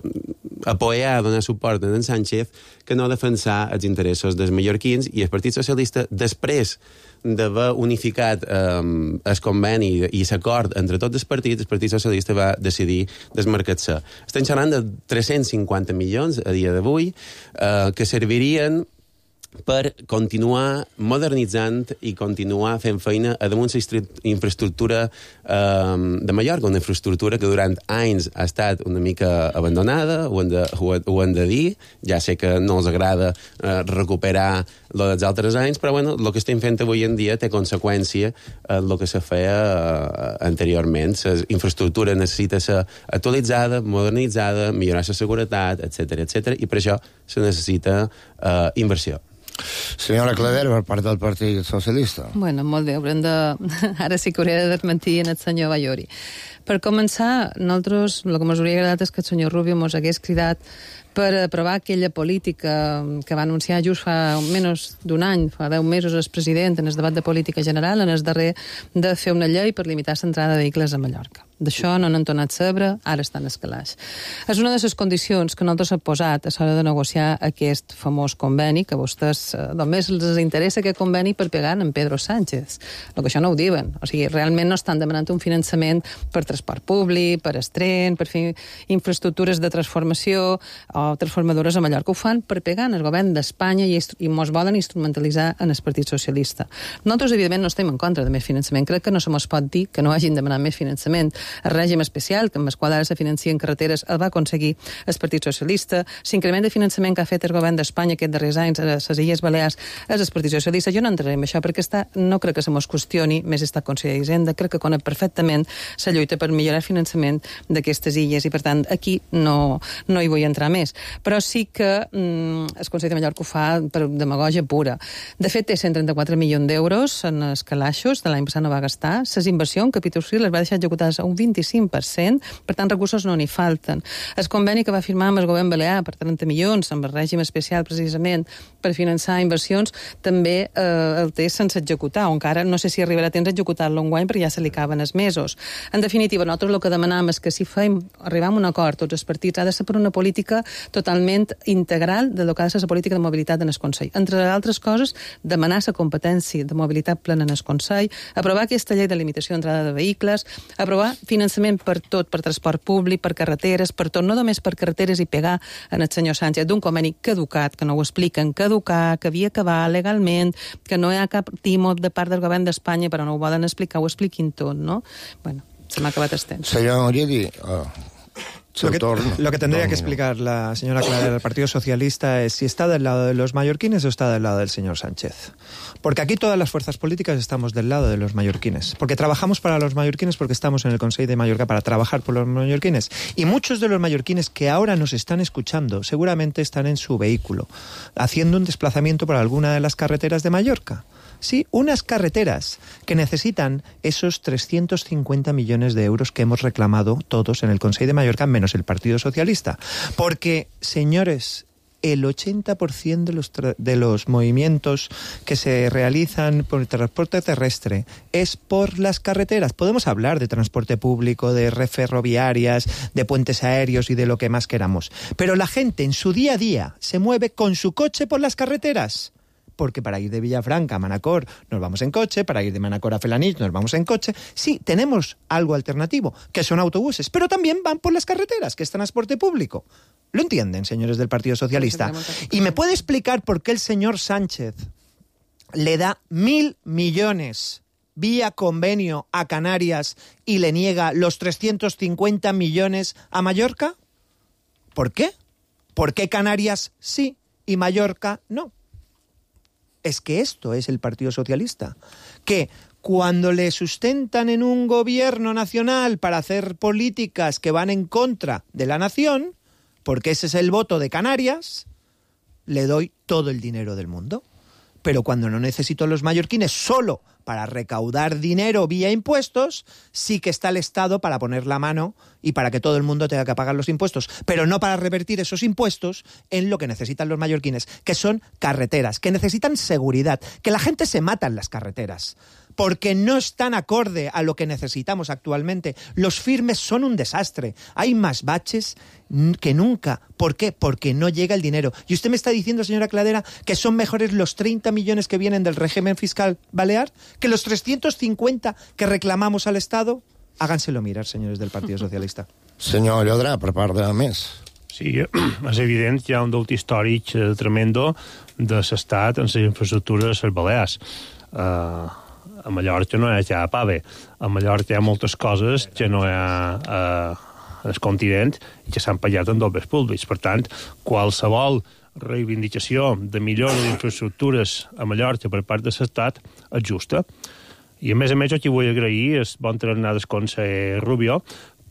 apoyar, donar suport a en Sánchez que no defensar els interessos dels mallorquins, i el Partit Socialista, després d'haver unificat eh, el conveni i l'acord entre tots els partits, el Partit Socialista va decidir desmarcar-se. Estem parlant de tres-cents cinquanta milions a dia d'avui eh, que servirien per continuar modernitzant i continuar fent feina a damunt la infraestructura eh, de Mallorca, una infraestructura que durant anys ha estat una mica abandonada, ho hem de, ho, ho hem de dir, ja sé que no els agrada eh, recuperar el dels altres anys, però bueno, el que estem fent avui en dia té conseqüència en el que se feia eh, anteriorment. La infraestructura necessita ser actualitzada, modernitzada, millorar la seguretat, etcètera, etcètera, i per això se necessita eh, inversió. Senyora Cladera, per part del Partit Socialista. Bueno, molt bé, haurem de... Ara sí que hauré de desmentir en el senyor Ballori. Per començar, nosaltres, el que ens hauria agradat és que el senyor Rubio ens hagués cridat per aprovar aquella política que va anunciar just fa menys d'un any, fa deu mesos, el president en el debat de política general, en el darrer de fer una llei per limitar l'entrada de vehicles a Mallorca. D'això no n'han tornat a saber, ara estan escalats. És una de les condicions que nosaltres hem posat a l'hora de negociar aquest famós conveni, que a vostès eh, només els interessa aquest conveni per pegar en Pedro Sánchez. El que això no ho diuen. O sigui, realment no estan demanant un finançament per transport públic, per estren, per fer infraestructures de transformació o transformadores a Mallorca. Ho fan per pegar en el govern d'Espanya i, i mos volen instrumentalitzar en el Partit Socialista. Nosaltres, evidentment, no estem en contra de més finançament. Crec que no se mos pot dir que no hagin demanat més finançament. El règim especial, que amb el qual ara se financien carreteres, el va aconseguir el Partit Socialista. L'increment de finançament que ha fet el govern d'Espanya aquests darrers anys a les Illes Balears és el Partit Socialista. Jo no entraré en això perquè està, no crec que se mos qüestioni més estat conseller d'Hisenda. Crec que conec perfectament la lluita per millorar el finançament d'aquestes illes i, per tant, aquí no, no hi vull entrar més. Però sí que mm, el Consell de Mallorca ho fa per demagogia pura. De fet, té cent trenta-quatre milions d'euros en els calaixos, de l'any passat no va gastar. Les inversions en capítol cinc les va deixar executades a un vint-i-cinc per cent, per tant, recursos no n'hi falten. El conveni que va firmar amb el govern balear per trenta milions, amb el règim especial, precisament, per finançar inversions, també eh, el té sense executar, o encara no sé si arribarà a temps a executar-lo enguany, perquè ja se li acaben els mesos. En definitiva, nosaltres el que demanam és que si fem, arribam a un acord, tots els partits, ha de ser per una política totalment integral de lo que ha de ser la política de mobilitat en el Consell. Entre altres coses, demanar la competència de mobilitat plena en el Consell, aprovar aquesta llei de limitació d'entrada de vehicles, aprovar finançament per tot, per transport públic, per carreteres, per tot, no només per carreteres i pegar en el senyor Sánchez d'un conveni caducat, que no ho expliquen, caducar, que havia acabat legalment, que no hi ha cap timo de part del govern d'Espanya, però no ho volen explicar, ho expliquin tot, no? Bueno, se m'ha acabat el temps. Senyor Oriedi, uh, Lo que, lo que tendría que explicar la señora Clara del Partido Socialista es si está del lado de los mallorquines o está del lado del señor Sánchez. Porque aquí todas las fuerzas políticas estamos del lado de los mallorquines. Porque trabajamos para los mallorquines, porque estamos en el Consell de Mallorca para trabajar por los mallorquines. Y muchos de los mallorquines que ahora nos están escuchando seguramente están en su vehículo, haciendo un desplazamiento por alguna de las carreteras de Mallorca. Sí, unas carreteras que necesitan esos trescientos cincuenta millones de euros que hemos reclamado todos en el Consell de Mallorca, menos el Partido Socialista. Porque, señores, el ochenta por ciento de los, de los movimientos que se realizan por el transporte terrestre es por las carreteras. Podemos hablar de transporte público, de red ferroviarias, de puentes aéreos y de lo que más queramos. Pero la gente en su día a día se mueve con su coche por las carreteras. Porque para ir de Villafranca a Manacor nos vamos en coche, para ir de Manacor a Felanitx nos vamos en coche. Sí, tenemos algo alternativo, que son autobuses, pero también van por las carreteras, que es transporte público. ¿Lo entienden, señores del Partido Socialista? ¿Y me puede explicar por qué el señor Sánchez le da mil millones vía convenio a Canarias y le niega los trescientos cincuenta millones a Mallorca? ¿Por qué? ¿Por qué Canarias sí y Mallorca no? Es que esto es el Partido Socialista, que cuando le sustentan en un gobierno nacional para hacer políticas que van en contra de la nación, porque ese es el voto de Canarias, le doy todo el dinero del mundo. Pero cuando no necesito a los mallorquines solo para recaudar dinero vía impuestos, sí que está el Estado para poner la mano y para que todo el mundo tenga que pagar los impuestos, pero no para revertir esos impuestos en lo que necesitan los mallorquines, que son carreteras, que necesitan seguridad, que la gente se mata en las carreteras, porque no están acorde a lo que necesitamos actualmente. Los firmes son un desastre. Hay más baches que nunca. ¿Por qué? Porque no llega el dinero. Y usted me está diciendo, señora Cladera, que son mejores los treinta millones que vienen del régimen fiscal balear que los trescientos cincuenta que reclamamos al Estado. Háganselo mirar, señores del Partido Socialista. Senyor Llodrà, per part de més. Sí, és evident que hi ha un deute històric tremendo de l'Estat en les infraestructures a les Balears. Uh, a Mallorca no hi ha pave. A Mallorca hi ha moltes coses que no hi ha uh, al continent i que s'han pagat en dobles públics. Per tant, qualsevol reivindicació de millora d'infraestructures a Mallorca per part de l'Estat és justa. I a més a més aquí vull agrair el bon tarannà del conseller Rubio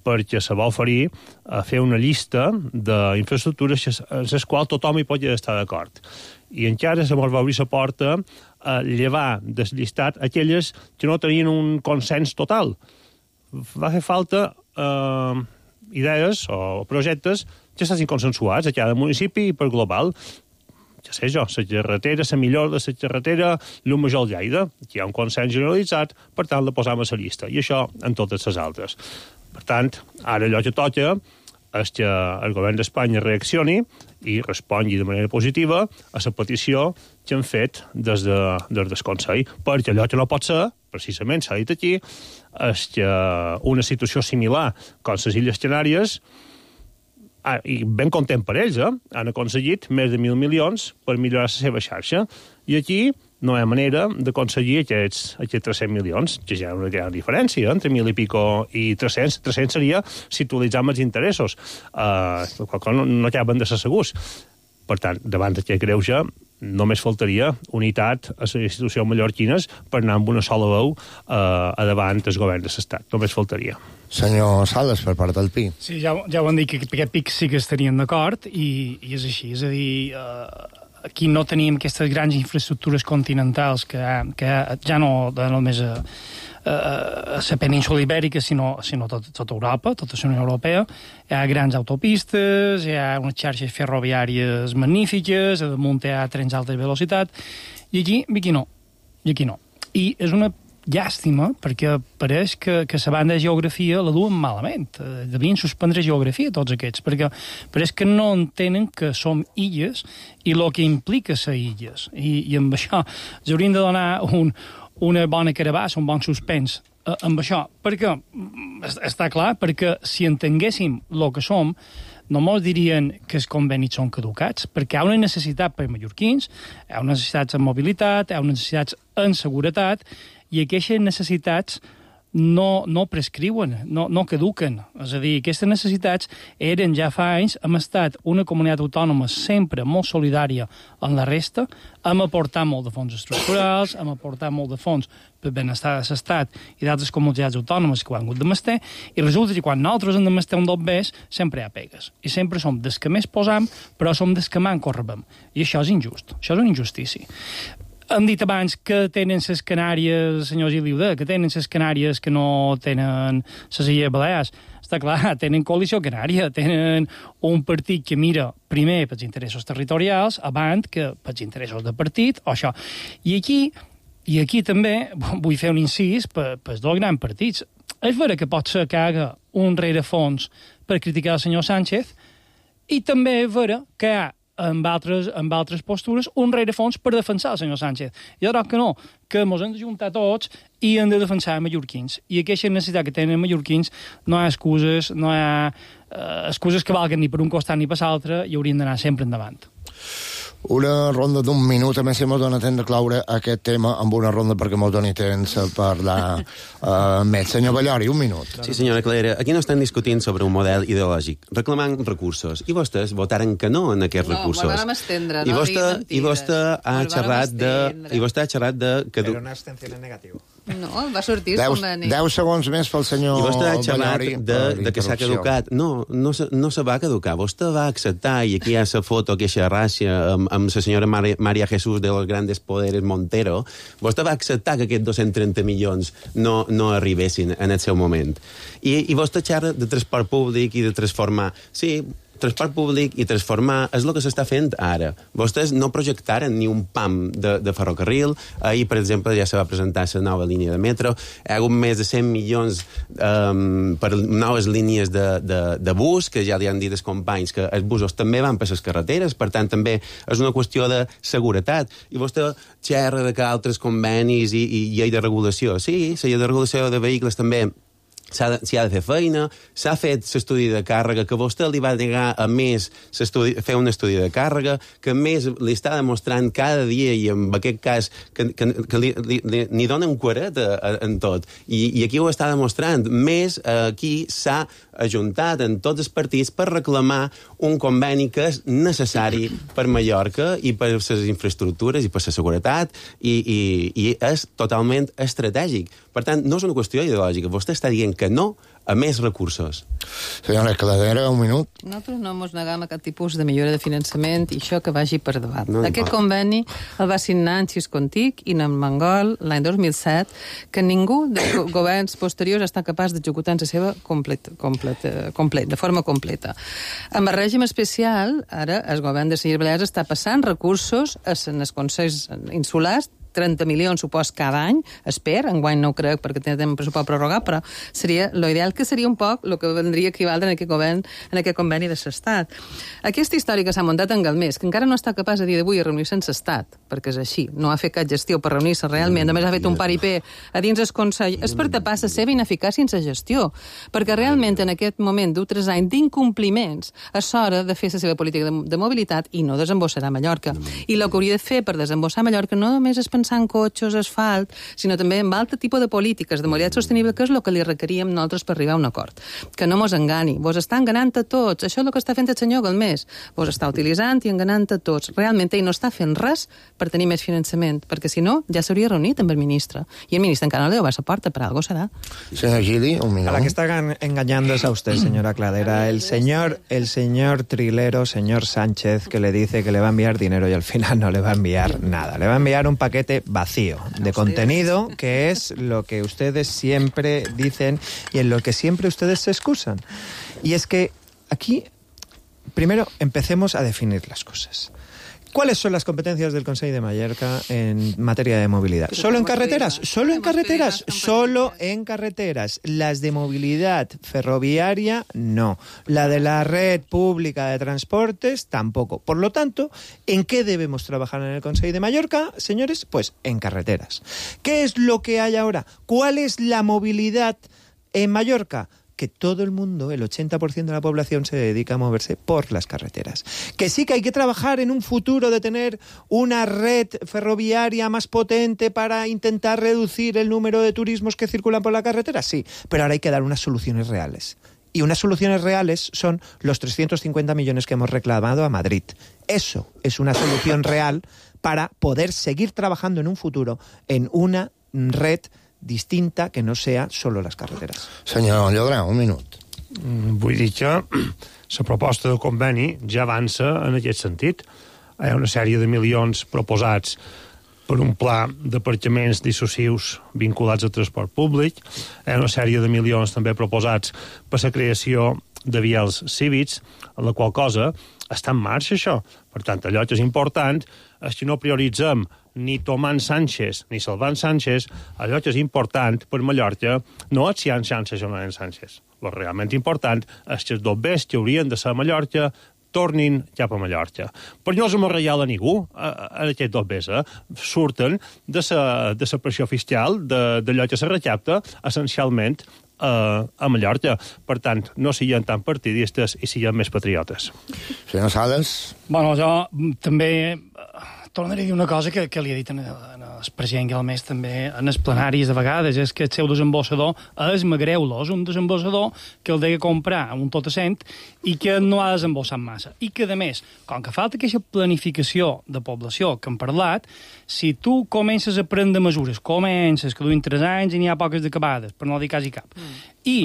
perquè se va oferir a fer una llista d'infraestructures en les quals tothom hi pot estar d'acord. I encara se mos va obrir la porta a llevar del llistat aquelles que no tenien un consens total. Va fer falta eh, idees o projectes que estiguin consensuats a cada municipi i per global. Ja sé jo, la carretera, la millor de la carretera, l'un major Lleida, que hi ha un consens generalitzat, per tant la posam a la llista, i això en totes les altres. Per tant, ara allò que toca és que el govern d'Espanya reaccioni i respongui de manera positiva a la petició que han fet des, de, des del Consell, perquè allò que no pot ser, precisament s'ha dit aquí, és que una situació similar com les Illes Canàries, ah, i ben content per ells, eh? Han aconseguit més de mil milions per millorar la seva xarxa, i aquí no hi ha manera d'aconseguir aquests, aquests tres-cents milions, que ja hi ha una gran diferència, eh? Entre mil i pico i tres-cents. tres-cents seria si utilitzem els interessos. Uh, no, no acaben de ser segurs. Per tant, davant d'aquest greuge, només faltaria unitat a les institucions mallorquines per anar amb una sola veu uh, a davant del govern de l'Estat. Només faltaria. Senyor Sales, per part del Pi. Sí, ja, ja ho han dit, que aquest pic sí que estarien d'acord, i, i és així. És a dir, eh, aquí no tenim aquestes grans infraestructures continentals que, que ja no, no només a, a, a la península ibèrica, sinó, sinó tot, tota Europa, tota la Unió Europea. Hi ha grans autopistes, hi ha unes xarxes ferroviàries magnífiques, a damunt hi ha trens d'alta velocitat, i aquí, aquí no. I aquí no. I és una llàstima, perquè pareix que, que la banda de geografia la duen malament. Eh, devien suspendre geografia tots aquests, perquè pareix que no entenen que som illes i el que implica ser illes. I, i amb això ens haurien de donar un, una bona carabassa, un bon suspens eh, amb això, perquè està clar, perquè si entenguéssim el que som, no mos dirien que els convenis són caducats, perquè hi ha una necessitat per mallorquins, hi ha unes necessitats en mobilitat, hi ha unes necessitats en seguretat, i aquestes necessitats no, no prescriuen, no, no caduquen. És a dir, aquestes necessitats eren ja fa anys, hem estat una comunitat autònoma sempre molt solidària en la resta, hem aportat molt de fons estructurals, hem aportat molt de fons per benestar de l'Estat i d'altres comunitats autònomes que ho han hagut de mester, i resulta que quan nosaltres hem de mester un dos bes, sempre hi ha pegues. I sempre som des que més posam, però som des que manco rebem. I això és injust, això és una injustícia. Hem dit abans que tenen les Canàries, senyor Gil Liuda, que tenen les Canàries que no tenen les Illes Balears. Està clar, tenen coalició canària, tenen un partit que mira primer pels interessos territorials, abans que pels interessos de partit, o això. I aquí, i aquí també vull fer un incís per, per dos grans partits. És vera que pot ser que haga un rerefons per criticar el senyor Sánchez, i també és vera que hi ha amb altres, amb altres postures, un rerefons per defensar el senyor Sánchez. Jo crec que no, que ens hem d'ajuntar tots i hem de defensar mallorquins. I aquesta necessitat que tenen mallorquins no hi ha excuses, no hi ha eh, excuses que valguen ni per un costat ni per l'altre, i haurien d'anar sempre endavant. Una ronda d'un minut, a més, si m'ho dona temps de claure aquest tema amb una ronda perquè m'ho doni temps a parlar uh, més. Senyor Ballori, un minut. Sí, senyora Clara, aquí no estan discutint sobre un model ideològic, reclamant recursos, i vostès votaren que no en aquests no, recursos. No, vam estendre, I no vostè, i vostè ha xerrat de... I vostè ha xerrat de... Que... Però una abstenció en negatiu. No, va sortir el conveni. deu segons més pel senyor I vostè ha xerrat Ballori de, de que s'ha caducat. No, no se, no se va caducar. Vostè va acceptar, i aquí hi ha la foto, aquesta ràcia, amb, amb la senyora Maria, Maria Jesús de los grandes poderes Montero, vostè va acceptar que aquests dos-cents trenta milions no, no arribessin en el seu moment. I, i vostè xerra de transport públic i de transformar... Sí, transport públic i transformar és el que s'està fent ara. Vostès no projectaren ni un pam de, de ferrocarril. Ahir, per exemple, ja se va presentar la nova línia de metro. Hi ha hagut més de cent milions um, per noves línies de, de, de bus, que ja li han dit els companys que els busos també van per les carreteres, per tant, també és una qüestió de seguretat. I vostè xerra de que altres convenis i, i llei de regulació. Sí, la llei de regulació de vehicles també s'ha de, s'hi ha de fer feina, s'ha fet l'estudi de càrrega, que vostè li va negar a més fer un estudi de càrrega, que a més li està demostrant cada dia, i en aquest cas que, que, que li, li, li, li donen cuaret en tot. I, I aquí ho està demostrant. Més aquí s'ha ajuntat en tots els partits per reclamar un conveni que és necessari per Mallorca i per les infraestructures i per la seguretat, i, i, i és totalment estratègic. Per tant, no és una qüestió ideològica. Vostè està dient que no a més recursos. Senyora Cladera, un minut. Nosaltres no ens negam a cap tipus de millora de finançament i això que vagi per davant. No, Aquest no. conveni el va signar en Xiscontic i en Mangol l'any dos mil set, que ningú dels governs posteriors està capaç d'executar en la seva complet, complet, complet, de forma completa. Amb el règim especial, ara el govern de les Illes Balears està passant recursos en els consells insulars, trenta milions, supos, cada any, esper, enguany no ho crec perquè tenen pressupost prorrogat, però seria lo ideal que seria un poc el que vendria equivaldre en aquest, govern, en aquest conveni de l'Estat. Aquesta història que s'ha muntat en Galmés, que encara no està capaç a dir d'avui a reunir-se amb l'Estat, perquè és així, no ha fet cap gestió per reunir-se realment, a més ha fet un paripé a dins el Consell, és per tapar la seva ineficàcia en la gestió, perquè realment en aquest moment d'un tres anys d'incompliments és hora de fer la seva política de, de mobilitat i no desembossarà a Mallorca. I el que hauria de fer per desembossar a Mallorca no només és pensar en cotxes, asfalt, sinó també en altre tipus de polítiques de mobilitat sostenible, que és el que li requeríem nosaltres per arribar a un acord. Que no mos engani, vos està enganant a tots, això és el que està fent el senyor Galmés, vos està utilitzant i enganant a tots. Realment ell no està fent res per tenir més finançament, perquè si no ja s'hauria reunit amb el ministre. I el ministre encara no li va a la porta, per algo serà. Señor Gili, un minuto. A la que está engañando es a usted, señora Cladera. El señor, el señor trilero, señor Sánchez, que le dice que le va a enviar dinero y al final no le va a enviar nada. Le va a enviar un paquete vacío de contenido, que es lo que ustedes siempre dicen y en lo que siempre ustedes se excusan. Y es que aquí, primero, empecemos a definir las cosas. ¿Cuáles son las competencias del Consell de Mallorca en materia de movilidad? ¿Solo en carreteras? ¿Solo en carreteras? Solo en carreteras. Las de movilidad ferroviaria, no. La de la red pública de transportes, tampoco. Por lo tanto, ¿en qué debemos trabajar en el Consell de Mallorca, señores? Pues en carreteras. ¿Qué es lo que hay ahora? ¿Cuál es la movilidad en Mallorca? Que todo el mundo, el ochenta por ciento de la población, se dedica a moverse por las carreteras. Que sí que hay que trabajar en un futuro de tener una red ferroviaria más potente para intentar reducir el número de turismos que circulan por la carretera, sí, pero ahora hay que dar unas soluciones reales. Y unas soluciones reales son los trescientos cincuenta millones que hemos reclamado a Madrid. Eso es una solución real para poder seguir trabajando en un futuro en una red distinta que no sea solo les carreteres. Senyor Llodrà, un minut. Vull dir que la proposta del conveni ja avança en aquest sentit. Hi ha una sèrie de milions proposats per un pla d'aparcaments dissuasius vinculats al transport públic. Hi ha una sèrie de milions també proposats per la creació de vials cívics, en la qual cosa està en marxa això. Per tant, allò que és important és que no prioritzem ni Tomàs Sánchez ni Salvant Sánchez, allò que és important per Mallorca no és si hi ha Sánchez o no hi ha Sánchez. El realment important és que els dobbers que haurien de ser a Mallorca tornin cap a Mallorca. Però no és reial a ningú, en aquests dobbers, eh? Surten de la de la pressió fiscal d'allò que se recapta essencialment a, a Mallorca. Per tant, no siguem tan partidistes i siguem més patriotes. Senyor Sales? Bueno, jo també tornaré a dir una cosa que, que li he dit en, en el president Galmés també en els plenaris de vegades, és que el seu desembossador és Magreulo, és un desembossador que el deia comprar un tot a cent i que no ha desembossat massa. I que, a més, com que falta aquesta planificació de població que hem parlat, si tu comences a prendre mesures, comences, que duin tres anys i n'hi ha poques d'acabades, per no dir quasi cap, mm. i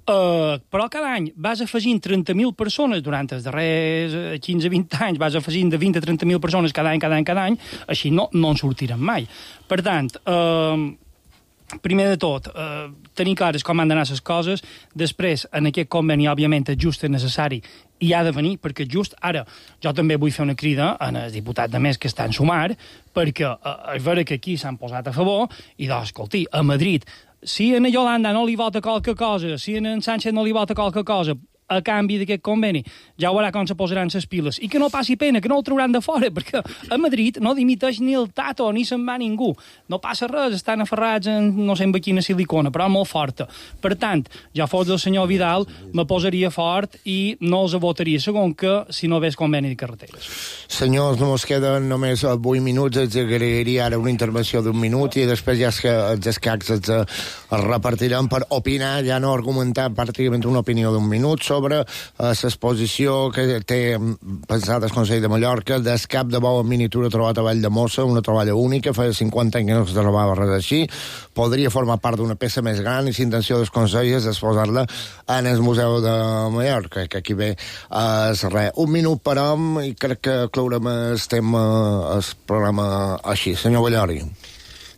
Uh, però cada any vas afegint trenta mil persones durant els darrers quinze a vint anys, vas afegint de vint a trenta mil persones cada any, cada any, cada any, així no, no en sortirem mai. Per tant, uh, primer de tot, uh, tenir clares com han d'anar les coses, després, en aquest conveni, òbviament, és just, és necessari i ha de venir, perquè just ara jo també vull fer una crida en el diputat de més que estan sumar, perquè uh, és vera que aquí s'han posat a favor i doncs, escolti, a Madrid si a Yolanda no li vota qualque cosa, si a en Sánchez no li vota qualque cosa, a canvi d'aquest conveni, ja veurà com se posaran les piles. I que no passi pena, que no el trauran de fora, perquè a Madrid no dimiteix ni el Tato, ni se'n va ningú. No passa res, estan aferrats en no sé en quina silicona, però molt forta. Per tant, ja fos del senyor Vidal, me posaria fort i no els votaria, segon que si no ves conveni de carreteres. Senyors, no ens queden només vuit minuts, els agrairia ara una intervenció d'un minut i després ja els escacs els, els repartirem per opinar, ja no argumentar pràcticament una opinió d'un minut sobre l'exposició que té pensat el Consell de Mallorca del cap de bou en miniatura trobat a Vall de Mossa, una troballa única, feia cinquanta anys que no es trobava res així, podria formar part d'una peça més gran i l'intenció del Consell és exposar-la en el Museu de Mallorca, que aquí ve és res. Un minut per hom i crec que clourem el tema, el programa així. Senyor Ballori.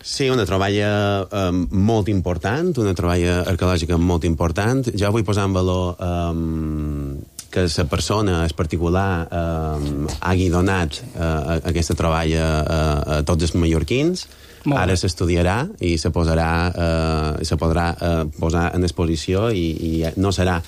Sí, una troballa eh, molt important, una troballa arqueològica molt important. Jo vull posar en valor eh, que la persona, el particular, eh, hagi donat eh, aquesta troballa a, a tots els mallorquins, Ara s'estudiarà i se posarà, eh, se podrà eh, posar en exposició i, i no serà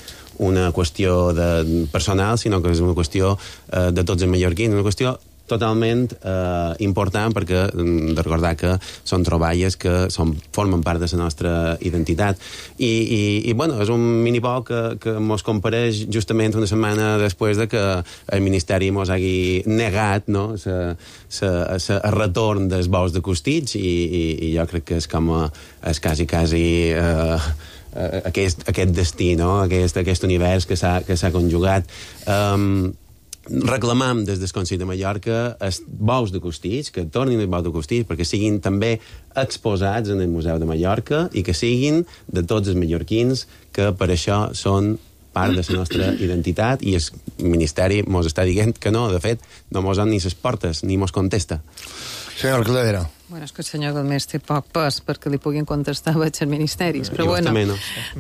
una qüestió de personal, sinó que és una qüestió eh, de tots els mallorquins, una qüestió totalment eh, important, perquè hem de recordar que són troballes que són, formen part de la nostra identitat. I, i, i bueno, és un minipoc que, que mos compareix justament una setmana després de que el Ministeri mos hagi negat, no?, el retorn dels bous de Costitx, i, i, i jo crec que és com a, és quasi, quasi... Eh, aquest, aquest destí, no?, aquest, aquest univers que s'ha que s'ha conjugat. Um, reclamam des del Consell de Mallorca els bous de Costitx, que tornin els bous de Costitx, perquè siguin també exposats en el Museu de Mallorca i que siguin de tots els mallorquins, que per això són part de la nostra identitat, i el Ministeri mos està dient que no, de fet, no mos han ni les portes, ni mos contesta. Senyor Cladera. Bueno, és que el senyor Galmés té poc pes perquè li puguin contestar a els ministeris, però bueno, no.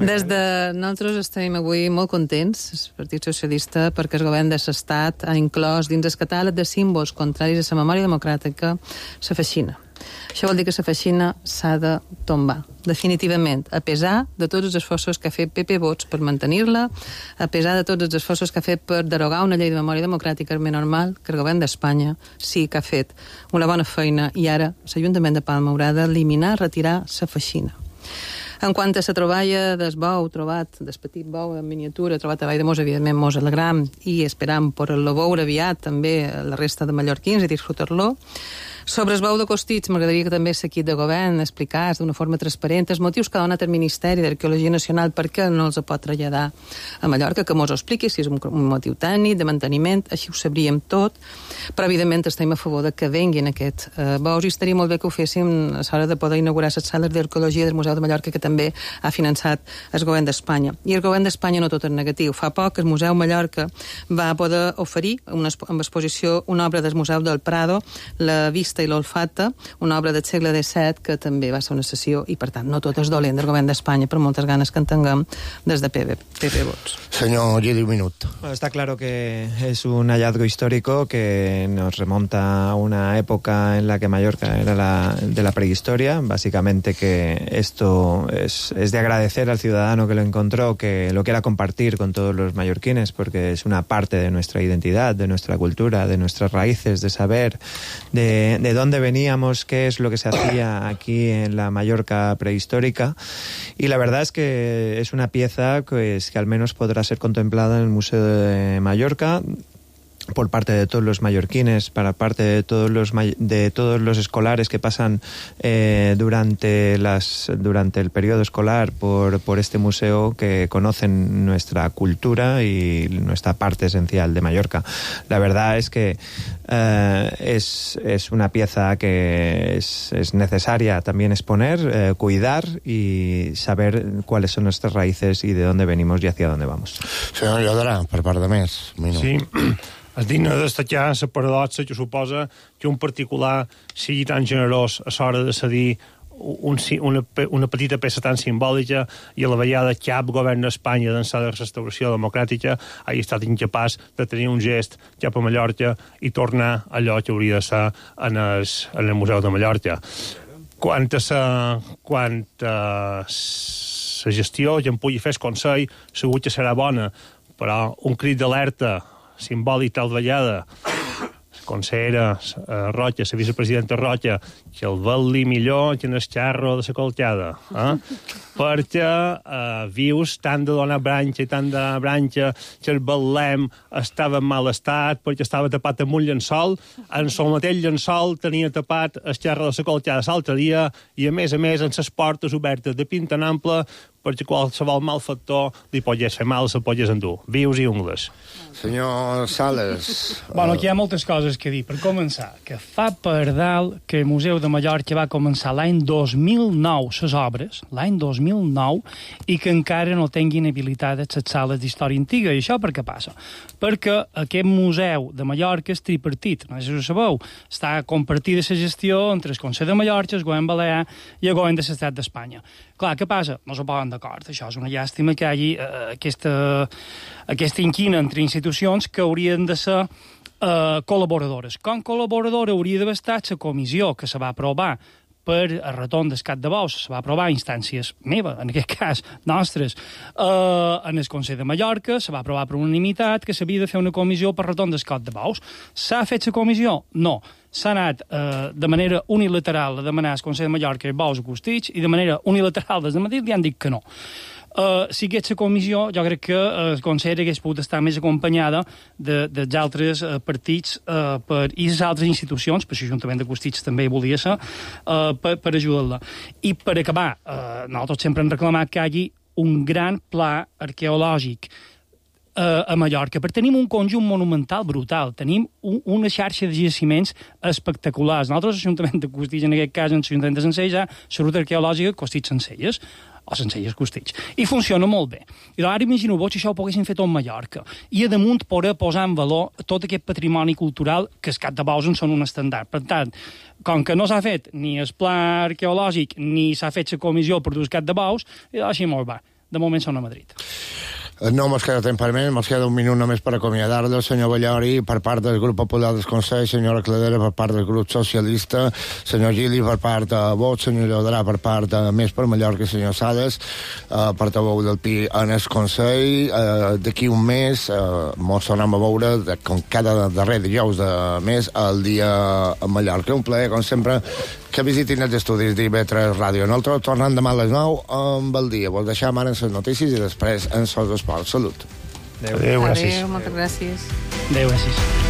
des de nosaltres estem avui molt contents, el Partit Socialista, perquè el govern de l'Estat ha inclòs dins el catàleg de símbols contraris a la memòria democràtica la feixina. Això vol dir que la feixina s'ha de tombar, definitivament, a pesar de tots els esforços que ha fet P P Vots per mantenir-la, a pesar de tots els esforços que ha fet per derogar una llei de memòria democràtica, és més normal que el govern d'Espanya sí que ha fet una bona feina i ara l'Ajuntament de Palma haurà d'eliminar, retirar la feixina. En quant a la troballa del bou trobat, del petit bou en miniatura, trobat a Vall de Mos, evidentment mos alegram i esperam poder-lo veure aviat també la resta de mallorquins i disfrutar-lo. Sobre el bou de Costitx, m'agradaria que també l'equip de govern expliqués d'una forma transparent els motius que ha donat el Ministeri d'Arqueologia Nacional per què no els pot traslladar a Mallorca, que mos ho expliqui, si és un, un motiu tècnic, de manteniment, així ho sabríem tot, però evidentment estem a favor de que venguin aquests eh, bous i estaria molt bé que ho féssim a l'hora de poder inaugurar les sales d'arqueologia del Museu de Mallorca, que també ha finançat el govern d'Espanya. I el govern d'Espanya no tot és negatiu. Fa poc el Museu Mallorca va poder oferir una, amb exposició una obra del Museu del Prado, La vista i l'olfata, una obra del segle disset que també va ser una sessió i, per tant, no tot és dolent del govern d'Espanya, per moltes ganes que en tinguem des de P P Vots. Señor Gili, un minuto. Bueno, está claro que es un hallazgo histórico que nos remonta a una época en la que Mallorca era la, de la prehistoria. Básicamente que esto es, es de agradecer al ciudadano que lo encontró, que lo quiera compartir con todos los mallorquines, porque es una parte de nuestra identidad, de nuestra cultura, de nuestras raíces, de saber de, de dónde veníamos, qué es lo que se hacía aquí en la Mallorca prehistórica. Y la verdad es que es una pieza pues, que al menos podrá ser contemplada en el Museo de Mallorca por parte de todos los mallorquines, para parte de todos los de todos los escolares que pasan eh, durante las durante el periodo escolar por por este museo, que conocen nuestra cultura y nuestra parte esencial de Mallorca. La verdad es que eh, es es una pieza que es, es necesaria también exponer, eh, cuidar y saber cuáles son nuestras raíces y de dónde venimos y hacia dónde vamos. Senyor Llodrà, per part de més. Sí. És digne de destacar la paradoxa que suposa que un particular sigui tan generós a l'hora de cedir un, una, una petita peça tan simbòlica i a la vegada cap govern d'Espanya d'ençà de la restauració democràtica hagi estat incapaç de tenir un gest cap a Mallorca i tornar allò que hauria de ser en el, en el Museu de Mallorca. Quant a la, quant a la gestió que en pugui fer el Consell, segur que serà bona, però un crit d'alerta simbòlic tal vegada, la consellera uh, Rocha, la vicepresidenta Rocha, que el vel-li millor que en el xarro de la colcada, eh? perquè uh, vius tant de donar branxa i tant de branxa que el vel·lem estava en mal estat perquè estava tapat amb un llençol, en el mateix llençol tenia tapat el xarro de la colcada l'altre dia i a més a més en les portes obertes de pinta en ample perquè qualsevol malfactor li pogués fer mal, se'l pogués endur. Vius i ungles. Senyor Sales... Bueno, aquí hi ha moltes coses que dir. Per començar, que fa per dalt que el Museu de Mallorca va començar l'any dos mil nou les obres, l'any dos mil nou, i que encara no tinguin habilitades les sales d'història antiga. I això per què passa? Perquè aquest Museu de Mallorca és tripartit, no sé si ho sabeu. Està compartida la gestió entre el Consell de Mallorca, el govern balear i el govern de l'Estat d'Espanya. Clar, què passa? No se poden d'acord. Això és una llàstima que hi hagi eh, aquesta, aquesta inquina entre institucions que haurien de ser eh, col·laboradores. Com col·laboradora hauria d'haver estat la comissió que se va aprovar per el retorn del Cap de Bous se va aprovar a instàncies meves, en aquest cas nostres, eh, en el Consell de Mallorca, se va aprovar per unanimitat que s'havia de fer una comissió per retorn del Cap de Bous. S'ha fet la comissió? No. S'ha anat eh, de manera unilateral a demanar al Consell de Mallorca i Bous a Costitx, i de manera unilateral des de Madrid li han dit que no. Uh, si hagués la comissió, jo crec que uh, el Consell hagués pogut estar més acompanyada de, dels altres uh, partits uh, per, i les altres institucions, per l'Ajuntament de Costitx també hi volia ser, uh, per, per ajudar-la. I per acabar, uh, nosaltres sempre hem reclamat que hi hagi un gran pla arqueològic uh, a Mallorca, perquè tenim un conjunt monumental brutal, tenim un, una xarxa de jaciments espectaculars. Nosaltres, l'Ajuntament de Costitx, en aquest cas, en l'Ajuntament de Sencelles, hi ha la ruta arqueològica Costitx-Sencelles, o Sencelles Costitx, i funciona molt bé. I ara imagino-vos si això ho poguessin fer tot a Mallorca, i a damunt poder posar en valor tot aquest patrimoni cultural que els Cap de Bous en són un estàndard. Per tant, com que no s'ha fet ni el pla arqueològic ni s'ha fet la comissió per dur el Cap de Bous, així molt va. De moment són a Madrid. No mos queda temps per més, mos queda un minut només per acomiadar-lo, senyor Ballori, per part del grup popular del Consell, senyora Cladera per part del grup socialista, senyor Gili per part de Vox, senyor Llodrà per part de Més per Mallorca, senyor Sales, eh, portaveu del Pi en el Consell. Eh, D'aquí un mes eh, mos tornem a veure, de, com cada darrer dijous de mes, el dia a Mallorca. Un plaer, com sempre, que visitin els estudis d'I B tres Ràdio. Nosaltres tornem demà a les nou amb el dia. Vos deixem ara en les notícies i després en els esports. Salut. Adéu, gràcies. Adéu, moltes gràcies. Adéu, gràcies.